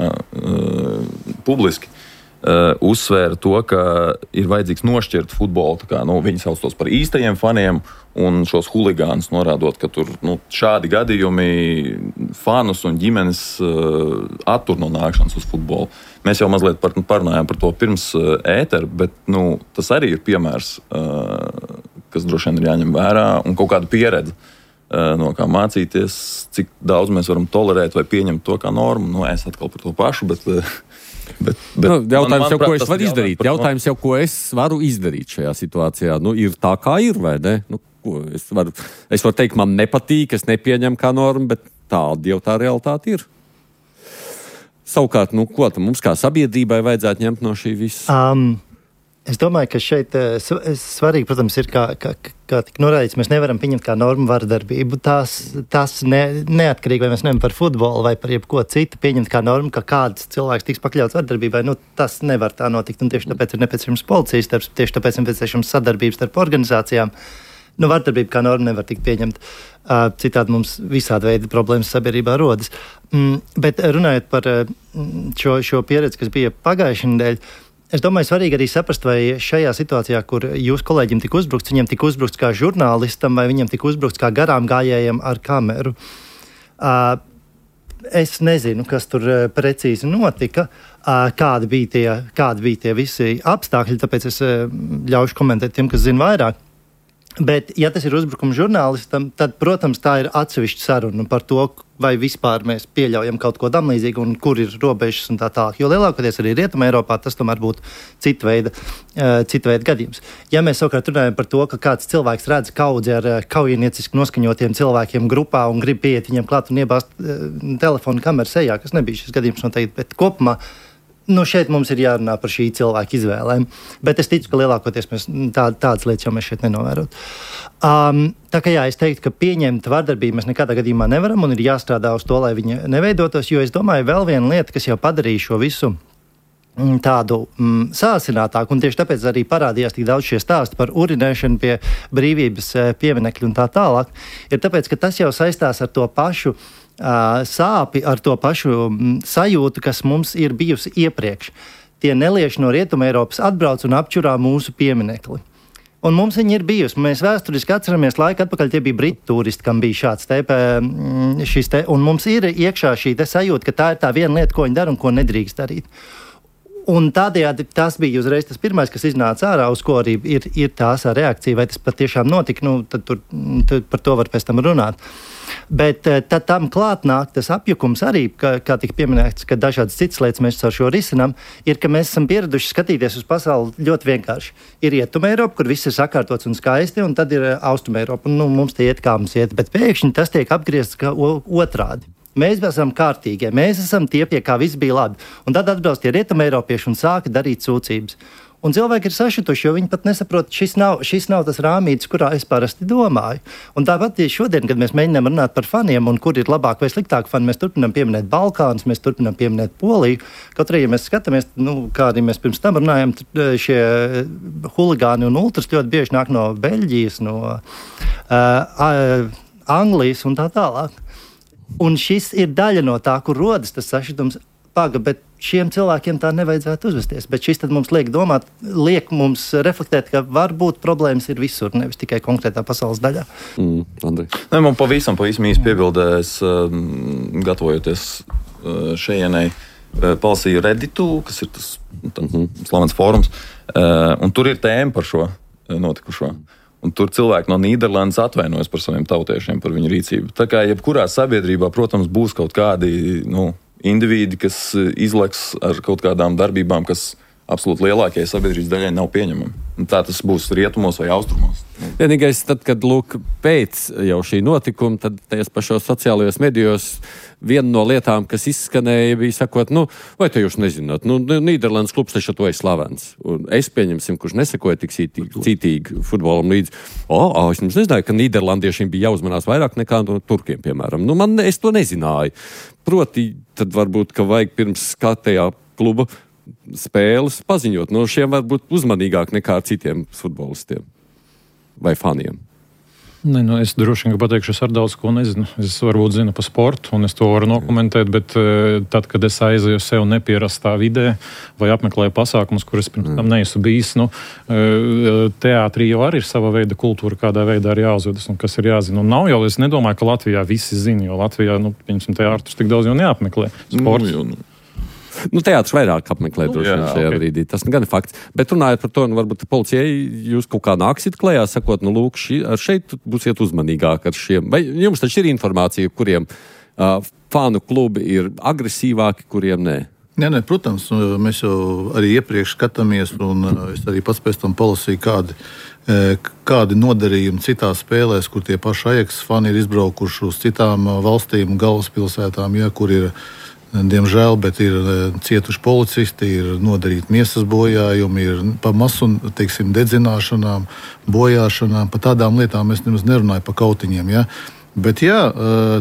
Speaker 4: publiski uzsvēra to, ka ir vajadzīgs nošķirt futbolu. Viņi sauc tos par īstajiem faniem un šos huligānus norādot, ka tur šādi gadījumi fanus un ģimenes attur no nākšanas uz futbolu. Mēs jau mazliet parunājām par to pirms ētera, bet tas arī ir piemērs, kas droši vien ir jāņem vērā un kaut kāda pieredze, no kā mācīties, cik daudz mēs varam tolerēt vai pieņemt to kā normu. Es atkal par to pašu, bet
Speaker 2: jautājums jau, ko es varu izdarīt. Jautājums jau, ko es varu izdarīt šajā situācijā. Ir tā, kā ir, vai ne? Es varu teikt, man nepatīk, es nepieņemu kā normu, bet tāda jau tā realitāte ir. Savukārt, ko mums kā sabiedrībai vajadzētu ņemt no šī visa?
Speaker 6: Es domāju, ka šeit svarīgi, protams, ir, kā tika norādīts, mēs nevaram pieņemt kā normu vardarbību. Tas neatkarīgi, vai mēs nevaram par futbolu vai par jebko citu pieņemt kā normu, ka kāds cilvēks tiks pakļauts vardarbībai. Tas nevar tā notikt, un tieši tāpēc ir nepieciešams policijas darbs, tieši tāpēc ir nepieciešams sadarbības starp organizācijām. Vardarbība kā norma nevar tikt pieņemt. Citādi mums visādi veidi problēmas sabiedrībā rodas. Bet runājot par šo pieredzi, kas bija pagājušajā nedēļā, Es domāju, svarīgi arī saprast, vai šajā situācijā, kur jūs kolēģim tika uzbrukts, viņam tika uzbrukts kā žurnālistam, vai viņam tika uzbrukts kā garām gājējiem ar kameru. Es nezinu, kas tur precīzi notika, kādi bija tie visi apstākļi, tāpēc es ļaušu komentēt tiem, kas zina vairāk. Bet, ja tas ir uzbrukums žurnālistam, tad, protams, tā ir atsevišķa saruna par to, vai vispār mēs pieļaujam kaut ko tam līdzīgu un kur ir robežas un tā tālāk. Jo lielākoties arī Rietumē Eiropā tas tomēr būtu cita veida gadījums. Ja mēs savukārt runājam par to, ka kāds cilvēks redz kaudzi ar kaujinieciski noskaņotiem cilvēkiem grupā un grib pieiet viņiem klāt un iebāzt telefonu kameru sejā, kas nebija šis gadījums noteikti, bet kopumā šeit mums ir jārunā par šī cilvēka izvēlēm, bet es ticu, ka lielākoties mēs tādas lietas jau mēs šeit nenovērot. Tā kā jā, es teiktu, ka pieņemt vardarbību mēs nekādā gadījumā nevaram un ir jāstrādā uz to, lai viņa neveidotos, jo es domāju, vēl viena lieta, kas jau padarīja šo visu tādu sāsinātāku, un tieši tāpēc arī parādījās tik daudz šie stāsti par urinēšanu pie brīvības pieminekļu un tā tālāk, ir tāpēc, ka tas jau saistās ar to pašu sāpi, ar to pašu sajūtu, kas mums ir bijusi iepriekš. Tie nelieši no Rietuma Eiropas atbrauc un apčurā mūsu pieminekli. Un mums viņi ir bijusi. Mēs vēsturiski atceramies laiku atpakaļ, tie bija britu turisti, kam bija šis te, un mums ir iekšā šī te sajūta, ka tā ir tā viena lieta, ko viņi dara un ko nedrīkst darīt. Un tādējādi tas bija uzreiz tas pirmais, kas iznāca ārā, uz ko arī ir tās reakcija, vai tas patiešām notika, tad par to var pēc tam runāt. Bet tad tam klāt nāk tas apjukums arī, kā tika pieminēts, ka dažādas citas lietas mēs ar šo risinām, ir, ka mēs esam pieraduši skatīties uz pasauli ļoti vienkārši. Ir Rietuma Eiropa, kur viss ir sakārtots un skaisti, un tad ir Austuma Eiropa, un mums tie iet kā mums iet, bet pēkšņi tas tiek apgriezts kā otrādi. Mēs esam kārtīgie, mēs esam tie, pie kā viss bija labi. Un tad atbrauc tie Rietuma Eiropieši un sāka darīt sūdzības. Un cilvēki ir sašutuši, jo viņi pat nesaprot, šis nav tas rāmītis, kurā es parasti domāju. Un tāpat šodien, kad mēs mēģinām runāt par faniem un kur ir labāk vai sliktāk fani, mēs turpinām pieminēt Balkānus, mēs turpinām pieminēt Poliju. Kaut arī, ja mēs skatāmies, kā arī mēs pirms tam runājam, šie huligāni un ultras ļoti bieži nāk no Beļģijas, no Anglijas un tā tālāk. Un šis ir daļa no tā, kur rodas tas sašutums. Bet šiem cilvēkiem tā nevajadzētu uzvesties. Bet šis tad mums liek domāt, liek mums reflektēt, ka varbūt problēmas ir visur, nevis tikai konkrētā pasaules daļā.
Speaker 4: Man pavisam īsi piebildēs, gatavojoties šejienai, palasīju Redditu, kas ir tas slavens fórums, un tur ir tēma par šo notikušo. Un tur cilvēki no Nīderlandes atvainojas par saviem tautiešiem, par viņu rīcību. Tā kā jebkurā sabiedrībā, protams, būs kaut kādi indivīdi, kas izleks ar kaut kādām darbībām, kas absolūti lielākajai sabiedrības daļai nav pieņemami. Un tā tas būs rietumos vai austrumos.
Speaker 2: Vienīgais, tad, kad pēc jau šī notikuma, tad tajos pašos sociālajos medijos viena no lietām, kas izskanēja, bija sakot, vai te jūs nezināt, Nīderlandes klubs taču to ir slavens. Un es pieņemsim, kurš nesakoja tik cītīgi futbolam līdzi. Es jums nezināju, ka Nīderlandiešiem bija jāuzmanās vairāk nekā no turkiem, piemēram. Es to nezināju. Proti, tad varbūt, ka vajag pirms skatējā kluba spēles paziņot. Šiem var būt uzmanīgāk nekā citiem futbolistiem vai faniem.
Speaker 3: Es droši vien pateikšu, es ar daudz ko nezinu. Es varbūt zinu par sportu, un es to varu nokomentēt, bet tad, kad es aizēju sev nepierastā vidē vai apmeklēju pasākumus, kur es pirms tam neesmu bijis, teātrī jau arī ir sava veida kultūra, kādā veidā ir jāuzvedas un kas ir jāzina. Un nav jau, es nedomāju, ka Latvijā visi zina, jo Latvijā, pieņemsim, teātrus tik daudz jau neapmeklē. Sports.
Speaker 2: Teātris vairāk apmeklē droši vien šajā brīdī. Tas gan ir fakts. Bet runājot par to, varbūt policijai jūs kaut kā nāksiet klējā, sakot, lūk, šeit būsiet uzmanīgāk ar šiem. Vai jums taču ir informācija, kuriem fanu klubi ir agresīvāki, kuriem nē?
Speaker 5: Nē, protams, mēs jau arī iepriekš skatāmies, un es arī pats pēc tam palasīju, kādi nodarījumi citās spēlēs, kur tie paši Ajax fani ir izbraukuši uz citām valstīm un galvaspilsētām, kur ir diemžēl, bet ir cietuši policisti, ir nodarīti miesas bojājumi, ir pa masu, dedzināšanām, bojāšanām, pa tādām lietām es nemaz nerunāju pa kautiņiem, Bet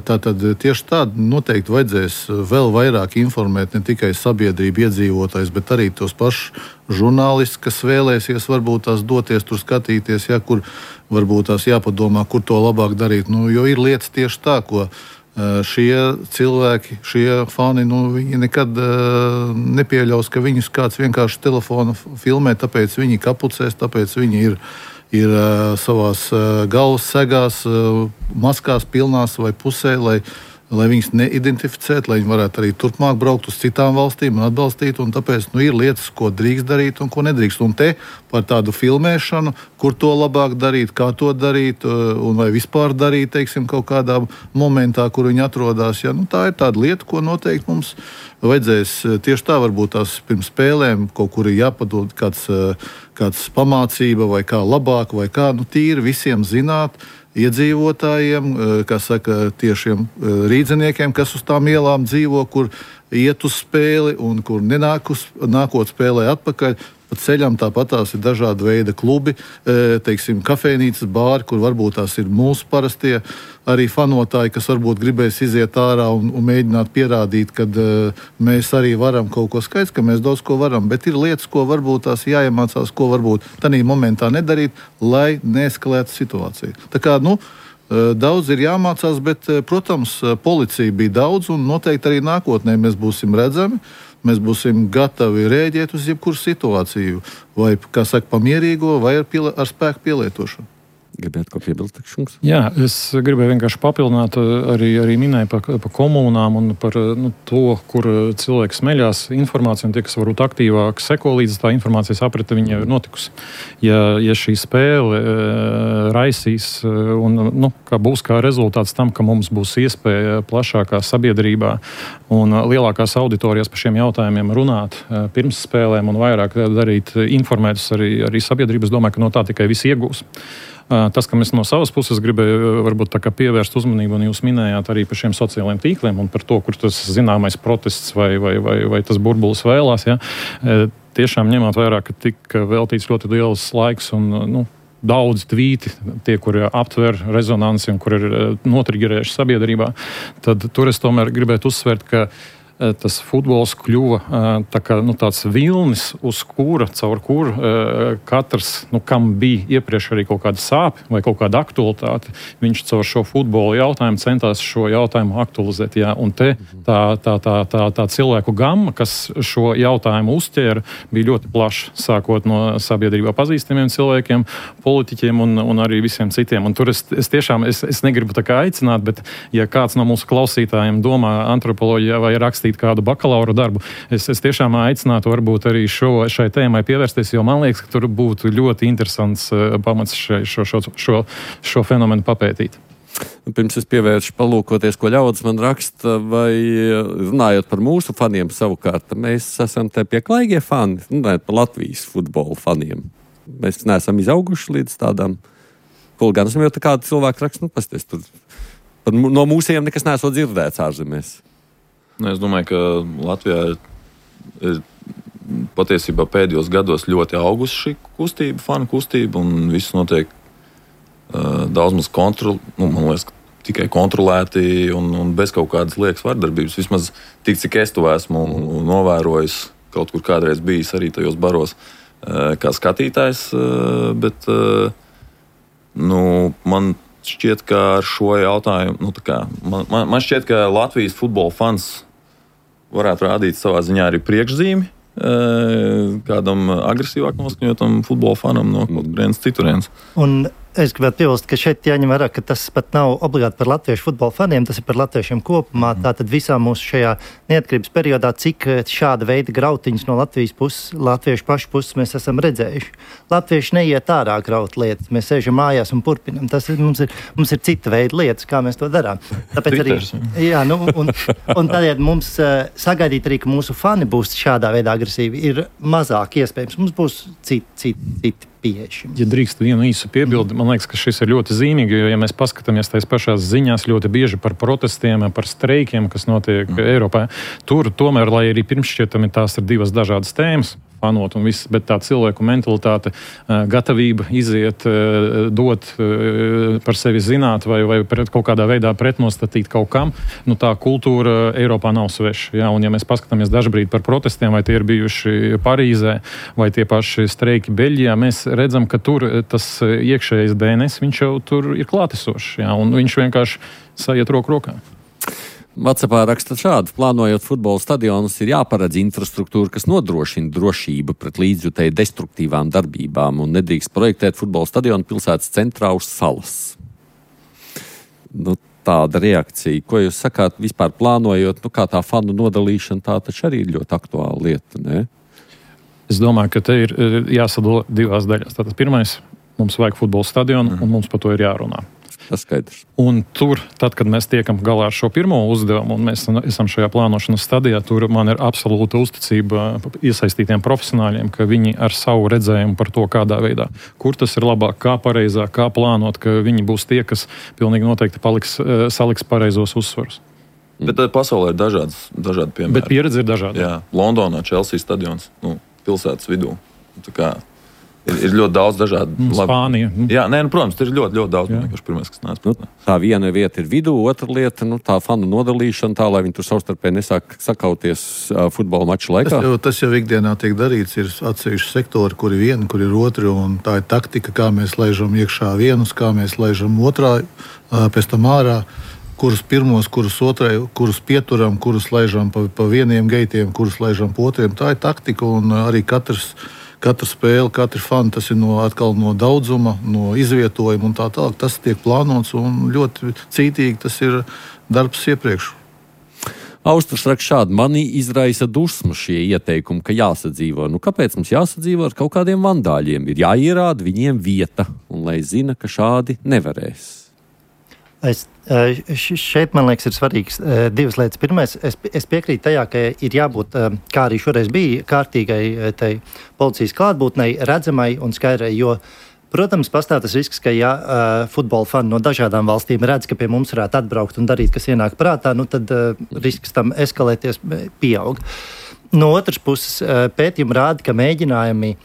Speaker 5: tātad tieši tādu noteikti vajadzēs vēl vairāk informēt ne tikai sabiedrību iedzīvotājs, bet arī tos pašus žurnālistus, kas vēlēsies varbūt tās doties tur skatīties, kur varbūt tās jāpadomā, kur to labāk darīt. Jo ir lietas tieši tā, ko šie cilvēki, šie fani, viņi nekad nepieļaus, ka viņus kāds vienkārši telefonu filmē, tāpēc viņi kapucēs, tāpēc viņi ir savās galvas segās, maskās pilnās vai pusē, lai viņus neidentificētu, lai viņi varētu arī turpmāk braukt uz citām valstīm un atbalstīt. Un tāpēc ir lietas, ko drīkst darīt un ko nedrīkst. Un te par tādu filmēšanu, kur to labāk darīt, kā to darīt, un vai vispār darīt, teiksim, kaut kādā momentā, kur viņi atrodas. Ja? Tā ir tāda lieta, ko noteikti mums vajadzēs tieši tā, varbūt tās pirms spēlēm kaut kur ir jāpadod kāds pamācība vai kā labāk, vai kā tīri visiem zināt, iedzīvotājiem, kas saka, tiešiem rīdziniekiem, kas uz tām ielām dzīvo, kur iet uz spēli un kur nākot spēlē atpakaļ. Pa ceļam tāpat tās ir dažādi veidi klubi, teiksim, kafejnīcas, bāri, kur varbūt tās ir mūsu parastie arī fanotāji, kas varbūt gribēs iziet ārā un mēģināt pierādīt, ka mēs arī varam kaut ko skaidrs, ka mēs daudz ko varam, bet ir lietas, ko varbūt tās jāiemācās, ko varbūt tādā momentā nedarīt, lai neeskalētu situāciju. Tā kā, daudz ir jāmācās, bet, protams, policija bija daudz un noteikti arī nākotnē mēs būsim redzami. Mēs būsim gatavi rēģēt uz jebkuru situāciju, vai, kā saka, pamierīgo, vai ar spēku pielietošanu.
Speaker 2: Gribētu ko piebilst, Šunks?
Speaker 3: Jā, es gribēju vienkārši papildināt, arī minēju par komunām un par to, kur cilvēki smeļās informāciju, un tie, kas varbūt aktīvāk seko līdz tā informācijas aprite, viņa jau ir notikusi. Ja šī spēle raisīs un kā būs kā rezultāts tam, ka mums būs iespēja plašākā sabiedrībā un lielākās auditorijas par šiem jautājumiem runāt pirms spēlēm un vairāk darīt informētus arī sabiedrības, domāju, ka no tā tikai visi iegūs. Tas, ka mēs no savas puses gribēju varbūt tā kā pievērst uzmanību, un jūs minējāt arī par šiem sociālajiem tīkliem un par to, kur tas zināmais protests vai tas burbulis vēlās. Ja? Tiešām ņemot vērā, ka tika veltīts ļoti liels laiks un daudz tvīti, tie, kuri aptver rezonanci un kuri ir notriggerējuši sabiedrībā, tad tur es tomēr gribētu uzsvērt, ka tas futbols kļuva tāds vilnis, caur kuru katrs, katrs bija iepriekš arī kaut kāda sāpe vai kaut kāda aktualitāte, viņš caur šo futbola jautājumu centās šo jautājumu aktualizēt. Jā. Un te tā cilvēku gamma, kas šo jautājumu uzķēra, bija ļoti plaša, sākot no sabiedrībā pazīstamiem cilvēkiem, politiķiem un arī visiem citiem. Un tur es tiešām negribu tā kā aicināt, bet ja kāds no mūsu klausītājiem domā antropoloģijā vai rakstīt kādu bakalaura darbu, es tiešām aicinātu varbūt arī šai tēmai pievērsties, jo man liekas, ka tur būtu ļoti interesants pamats šo fenomenu papētīt.
Speaker 2: Pirms es pievēršu palūkoties, ko ļaudis man raksta, vai runājot par mūsu faniem savukārt, mēs esam te pieklaigie fani, runājot par Latvijas futbola faniem. Mēs neesam izauguši līdz tādām huligānismam, jo tā kāda cilvēka raksta, pasties, tur no mūsiem nekas neesot dzirdēts ārzemēs.
Speaker 4: Es domāju, ka Latvijā ir patiesībā pēdējos gados ļoti augusi šī kustība, fanu kustība, un viss notiek daudz maz man liekas, tikai kontrolēti un bez kaut kādas liekas vardarbības. Vismaz tik, cik es to esmu novērojis, kaut kur kādreiz bijis arī tajos baros kā skatītājs, bet man šķiet, ka ar šo jautājumu, man šķiet, ka Latvijas futbola fans varētu rādīt savā ziņā arī priekšzīmi kādam agresīvāk noskaņotam futbola fanam no kaut kurienes citurienes.
Speaker 6: Un es gribētu piebilst, ka šeit jāņem vērā, ka tas pat nav obligāti par latviešu futbola faniem, tas ir par latviešiem kopumā. Tātad visā mūsu šajā neatkarības periodā, cik šāda veida grautiņas no Latvijas puses, latviešu pašu puses mēs esam redzējuši. Latvieši neiet ārā graut lietas, mēs sēžam mājās un purpinam. Mums ir cita veida lietas, kā mēs to darām. Tāpēc arī, un tādēļ mums sagaidīt arī, ka mūsu fani būs šādā veidā agresīvi, ir mazāk iespējams. Mums būs citi pieeja.
Speaker 3: Ja drīkst vienu īsu piebildi, man liekas, ka šis ir ļoti zīmīgi, jo, ja mēs paskatāmies tais pašās ziņās ļoti bieži par protestiem, par streikiem, kas notiek Eiropā, tur tomēr, lai arī pirmšķietami tās ir divas dažādas tēmas, fanot un viss, bet tā cilvēku mentalitāte, gatavība iziet, dot par sevi zināt vai kaut kādā veidā pretnostatīt kaut kam, tā kultūra Eiropā nav sveša. Ja? Un ja mēs paskatāmies dažbrīd par protestiem, vai tie ir bijuši Parīzē, vai tie paši streiki Beļģijā, mēs redzam, ka tur tas iekšējais DNS, viņš jau tur ir klātesošs, ja? Un viņš vienkārši sajiet roku rokā.
Speaker 2: WhatsAppā raksta šādi: plānojot futbola stadionus, ir jāparedz infrastruktūra, kas nodrošina drošību pret līdzjutēju destruktīvām darbībām un nedrīkst projektēt futbola stadionu pilsētas centrā uz salas. Tāda reakcija. Ko jūs sakāt vispār plānojot, kā tā fanu nodalīšana, tā taču arī ir ļoti aktuāla lieta, ne?
Speaker 3: Es domāju, ka te ir jāsadala divās daļās. Tātad pirmais, mums vajag futbola stadionu, un mums par to ir jārunā.
Speaker 2: Tas skaidrs.
Speaker 3: Un tur, tad, kad mēs tiekam galā ar šo pirmo uzdevumu, un mēs esam šajā plānošanas stadijā, tur man ir absolūta uzticība iesaistītiem profesionāļiem, ka viņi ar savu redzējumu par to, kādā veidā, kur tas ir labāk, kā pareizāk, kā plānot, ka viņi būs tie, kas pilnīgi noteikti saliks pareizos uzsvarus.
Speaker 4: Bet pasaulē ir dažādi piemēri.
Speaker 3: Bet pieredze ir dažāda.
Speaker 4: Jā, Londonā Chelsea stadions, pilsētas vidū. Tā kā ir ļoti daudz dažādu.
Speaker 3: Spānija.
Speaker 4: Jā, protams, ir ļoti daudz. Tas pirmais, kas nāc.
Speaker 2: Tā viena vieta ir vidū, otra lieta tā fanu nodalīšana, tā, lai viņi tur savstarpēji nesāk sakauties futbola maču laikā.
Speaker 5: Tas jau ikdienā tiek darīts. Ir atsevišķi sektori, kur ir viena, kur ir otra, un tā ir taktika, kā mēs laižam iekšā vienus, kā mēs laižam otrā, pēc tam ārā. Kurus pirmos, kurus otrai, kurus pieturam, kurus laižam pa vieniem geitiem, kurus laižam pa otriem. Tā ir taktika, un arī katra spēle, katra fani, tas ir atkal no daudzuma, no izvietojuma un tā tālāk. Tas tiek plānots un ļoti cītīgi tas ir darbs iepriekš.
Speaker 2: Austrs raksta šādi: mani izraisa dusmu šie ieteikumi, ka jāsadzīvo. Kāpēc mums jāsadzīvo ar kaut kādiem vandāļiem? Ir jāierāda viņiem vieta, un lai zina, ka šādi nevarēs.
Speaker 6: Šeit, man liekas, ir svarīgas divas lietas. Pirmais, es piekrītu tajā, ka ir jābūt, kā arī šoreiz bija, kārtīgai policijas klātbūtnei, redzamai un skaidrai, jo, protams, pastāv tas risks, ka ja futbola fani no dažādām valstīm redz, ka pie mums varētu atbraukt un darīt, kas ienāk prātā, tad risks tam eskalēties pieaug. No otras puses, pētījumi rāda, ka mēģinājumi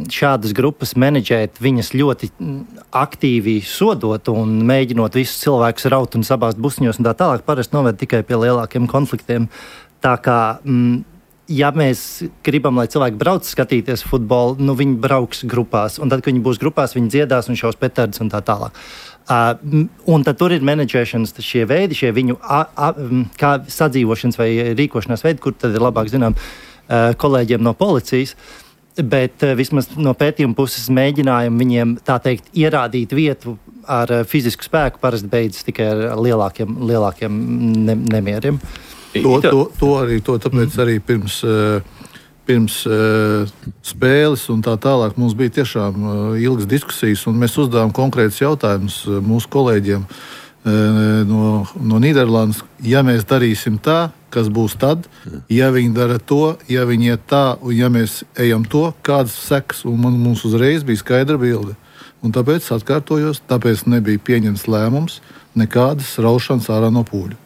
Speaker 6: šādas grupas menedžēt, viņas ļoti aktīvi sodot un mēģinot visus cilvēkus raut un sabāzt busņos un tā tālāk, parasti noved tikai pie lielākiem konfliktiem. Tā kā, ja mēs gribam, lai cilvēki brauc skatīties futbolu, viņi brauks grupās, un tad, kad viņi būs grupās, viņi dziedās un šaus petardus un tā tālāk. Un tad tur ir menedžēšanas šie veidi, šie viņu kā sadzīvošanas vai rīkošanās veidi, kur tad ir labāk zinām kolēģiem no policijas. Bet vismaz no pētījuma puses mēģinājumi viņiem, tā teikt, ierādīt vietu ar fizisku spēku parasti beidzas tikai ar lielākiem nemieriem. Tāpēc arī pirms spēles un tā tālāk mums bija tiešām ilgas diskusijas, un mēs uzdevām konkrētus jautājumus mūsu kolēģiem no Nīderlandes. Ja mēs darīsim tā, kas būs tad, ja viņi dara to, ja viņi iet tā, un ja mēs ejam to, kādas sekas, un mums uzreiz bija skaidra bilde. Un tāpēc atkārtojos, tāpēc nebija pieņemts lēmums nekādas raušanas ārā no pūļa.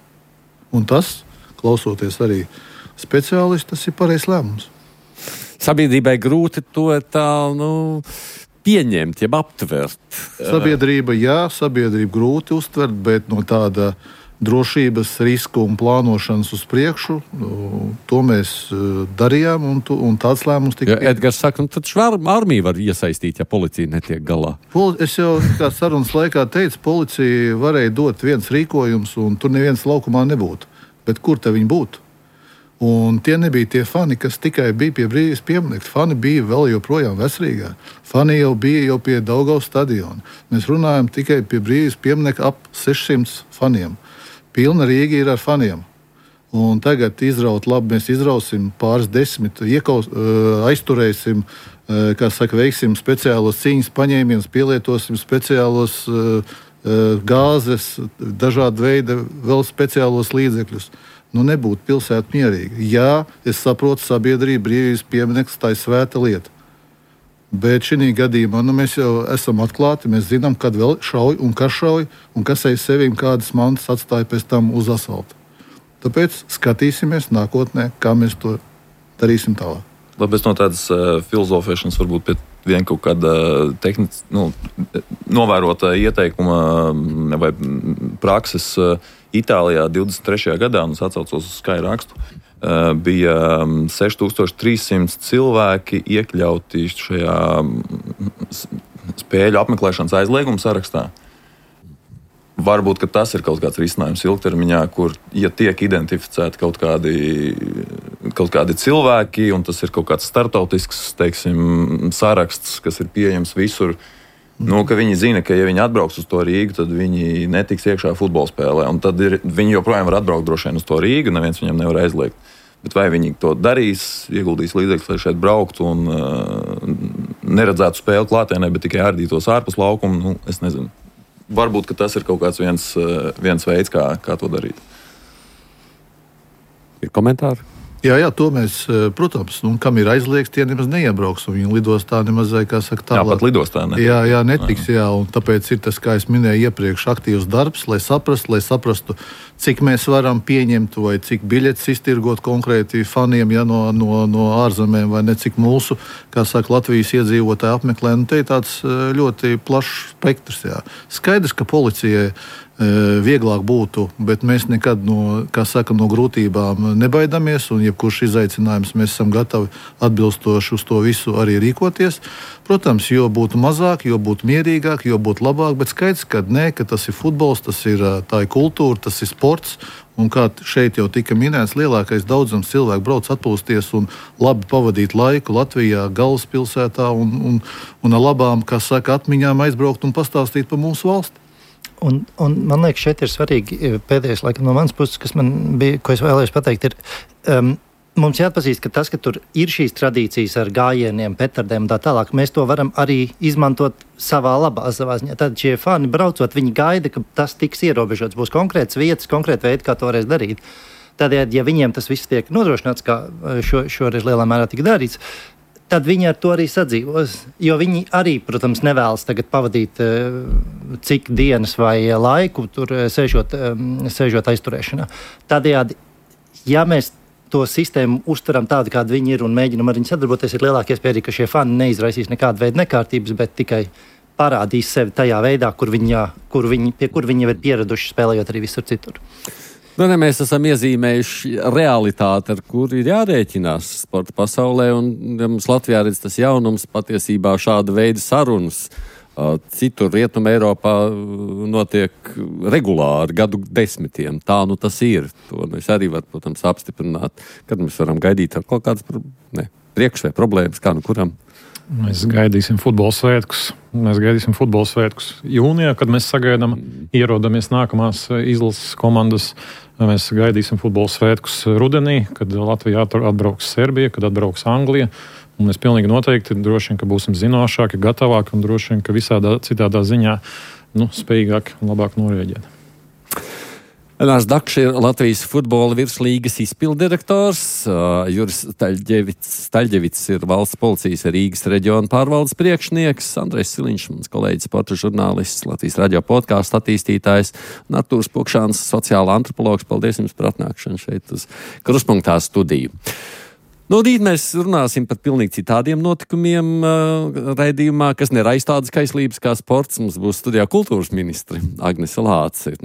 Speaker 6: Un tas, klausoties arī speciālisti, tas ir pareizs lēmums.
Speaker 2: Sabiedrībai grūti to pieņemt, jeb aptvert.
Speaker 5: Sabiedrība grūti uztvert, bet no tāda drošības risku un plānošanas uz priekšu, to mēs darījām, un tāds lēmums tika.
Speaker 2: Edgars saka, tad armija var iesaistīt, ja policija netiek galā.
Speaker 5: Es jau kā sarunas laikā teicu, policija varēja dot viens rīkojums, un tur neviens laukumā nebūtu. Bet kur te viņi būtu? Un tie nebija tie fani, kas tikai bija pie Brīvības pieminekļa. Fani bija vēl joprojām Vecrīgā. Fani jau bija pie Daugavas stadiona. Mēs runājam tikai pie Brīvības pieminekļa ap 600 faniem. Pilna Rīga ir ar faniem. Un tagad mēs izrausim pāris desmit, aizturēsim, veiksim speciālos cīņas paņēmienus, pielietosim speciālos gāzes, dažādu veidu vēl speciālos līdzekļus. Nebūtu pilsēta mierīga. Jā, es saprotu, sabiedrība Brīvības piemineklis, tā ir svēta lieta. Bet šī gadījumā mēs jau esam atklāti, mēs zinām, kad vēl šauj un kas aiz sevīm kādas mantas atstāja pēc tam uz asfalta. Tāpēc skatīsimies nākotnē, kā mēs to darīsim tālāk.
Speaker 4: Labi, es no tādas filozofēšanas varbūt pie vien kaut kāda novērota ieteikuma vai prakses Itālijā 23. gadā, un es atcaucos uz Sky rakstu, bija 6300 cilvēki iekļauti šajā spēļu apmeklēšanas aizlieguma sarakstā. Varbūt, ka tas ir kaut kāds risinājums ilgtermiņā, kur, ja tiek identificēti kaut kādi cilvēki, un tas ir kaut kāds startautisks, teiksim, saraksts, kas ir pieejams visur, ka viņi zina, ka ja viņi atbrauks uz to Rīgu, tad viņi netiks iekšā futbola spēlē, un tad viņi joprojām var atbraukt droši vien uz to Rīgu, neviens viņam nevar aizliegt. Bet vai viņi to darīs, ieguldīs līdzekļus, lai šeit brauktu un neredzētu spēli klātienē, bet tikai ārdītos ārpus laukumu, es nezinu. Varbūt, ka tas ir kaut kāds viens veids, kā to darīt.
Speaker 2: Ir komentāri?
Speaker 5: Jā, to mēs, protams, kam ir aizliegts, tie nemaz neiebrauks, un viņi lidostā nemaz, kā saka, tālāk.
Speaker 4: Jā, pat lidostā ne.
Speaker 5: Jā, netiks, un tāpēc ir tas, kā es minēju iepriekš, aktīvs darbs, lai saprastu, cik mēs varam pieņemt, vai cik biļetes iztirgot konkrēti faniem, no ārzemēm, vai ne cik mūsu, kā saka, Latvijas iedzīvotāji apmeklē. Te ir tāds ļoti plašs spektrs, jā. Skaidrs, ka policijai vieglāk būtu, bet mēs nekad no grūtībām nebaidamies, un jebkurš izaicinājums mēs esam gatavi atbilstoši uz to visu arī rīkoties. Protams, jo būtu mazāk, jo būtu mierīgāk, jo būtu labāk, bet skaidrs, ka tas ir futbols, tā ir kultūra, tas ir sports, un kā šeit jau tika minēts, lielākais daudzums cilvēku brauc atpūsties un labi pavadīt laiku Latvijā, galvaspilsētā, un ar labām, kā saka, atmiņām aizbraukt un pastāstīt par mūsu valsti.
Speaker 6: Un man liekas, šeit ir svarīgi pēdējais laikam no manas puses, ko es vēlējos pateikt, ir mums jāatpazīst, ka tas, ka tur ir šīs tradīcijas ar gājieniem, petardēm un tā tālāk, mēs to varam arī izmantot savā ziņā. Tad šie fani braucot, viņi gaida, ka tas tiks ierobežots, būs konkrētas vietas, konkrēti veidi, kā to varēs darīt. Tādējādi, ja viņiem tas viss tiek nodrošināts, kā šoreiz lielā mērā tika darīts, tad viņi ar to arī sadzīvos. Jo viņi arī, protams, nevēlas tagad pavadīt cik dienas vai laiku tur sēžot aizturēšanā. Tādējādi, ja mēs to sistēmu uztveram tādu, kāda viņi ir un mēģinam ar viņu sadarboties, ir lielākie iespēja, ka šie fani neizraisīs nekādu veidu nekārtības, bet tikai parādīs sevi tajā veidā, pie kur viņi jau ir pieraduši spēlējot arī visur citur.
Speaker 2: Mēs esam iezīmējuši realitāti, ar kuru ir jārēķinās sporta pasaulē, un mums Latvijā redz tas jaunums patiesībā šāda veida sarunas. Citur Rietumē Eiropā notiek regulāri gadu desmitiem. Tā tas ir. To mēs arī varam, protams, apstiprināt. Kad mēs varam gaidīt ar kaut kādas priekš vai problēmas, kā kuram.
Speaker 3: Mēs gaidīsim futbola svētkus jūnijā, kad mēs sagaidām, ierodamies nākamās izlases komandas. Mēs gaidīsim futbola svētkus rudenī, kad Latvijā atbrauks Serbija, kad atbrauks Anglija. Un mēs pilnīgi noteikti droši vien, ka būsim zinošāki, gatavāki un droši vien, ka visādā citādā ziņā spējīgāki un labāk norēģēt.
Speaker 2: Elārs Dakšs ir Latvijas futbola virslīgas izpilddirektors, Juris Staļģevits ir valsts policijas Rīgas reģiona pārvaldes priekšnieks, Andrejs Siliņš, mans kolēģis, sporta žurnālists, Latvijas radio podkāstu attīstītājs, un Artūrs Pukšāns, sociāla antropologs. Paldies jums par atnākšanu šeit uz Kruspunktā studiju. Rīt mēs runāsim par pilnīgi citādiem notikumiem raidījumā, kas neraisa tādas kaislības kā sports. Mums būs studijā kultūras ministri Agnese Lāce.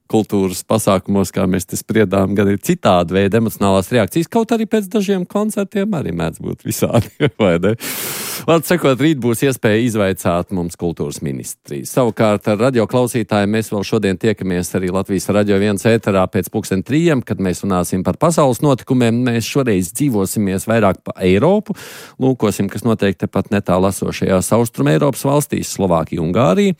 Speaker 2: Kultūras pasākumos, kā mēs te spriedām, gan ir citādi veidi emocionālās reakcijas, kaut arī pēc dažiem koncertiem arī mēdz būt visādi, vai ne? Vārds sakot, rīt būs iespēja izvaicāt mums kultūras ministriju. Savukārt ar radio klausītājiem mēs vēl šodien tiekamies arī Latvijas Radio 1 ēterā pēc 3:00, kad mēs runāsim par pasaules notikumiem. Mēs šoreiz dzīvosimies vairāk pa Eiropu, lūkosim, kas notiek tepat netālu esošajās Austrum Eiropas valstīs, Slovākija, Ungārija.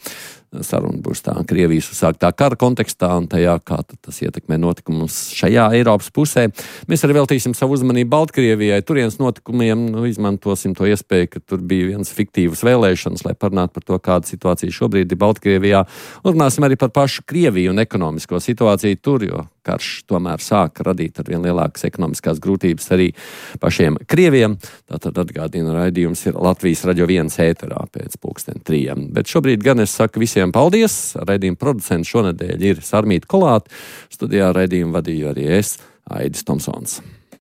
Speaker 2: Saruna būs tā Krievijas uzsāktā kara kontekstā un tajā, kā tas ietekmē notikumus šajā Eiropas pusē. Mēs arī veltīsim savu uzmanību Baltkrievijai, turienes notikumiem, izmantosim to iespēju, ka tur bija viens fiktīvas vēlēšanas, lai parunātu par to, kāda situācija šobrīd ir Baltkrievijā. Un runāsim arī par pašu Krieviju un ekonomisko situāciju tur, jo karš tomēr sāk radīt ar vien lielākas ekonomiskās grūtības arī pašiem Krieviem. Tātad atgādina, raidījums ir Latvijas Radio 1 ēterā pēc 3:00. Bet šobrīd gan es saku visiem paldies. Raidījuma producents šonedēļ ir Sarmīta Kolāte. Studijā raidījumu vadīju arī es, Aidis Tomsons.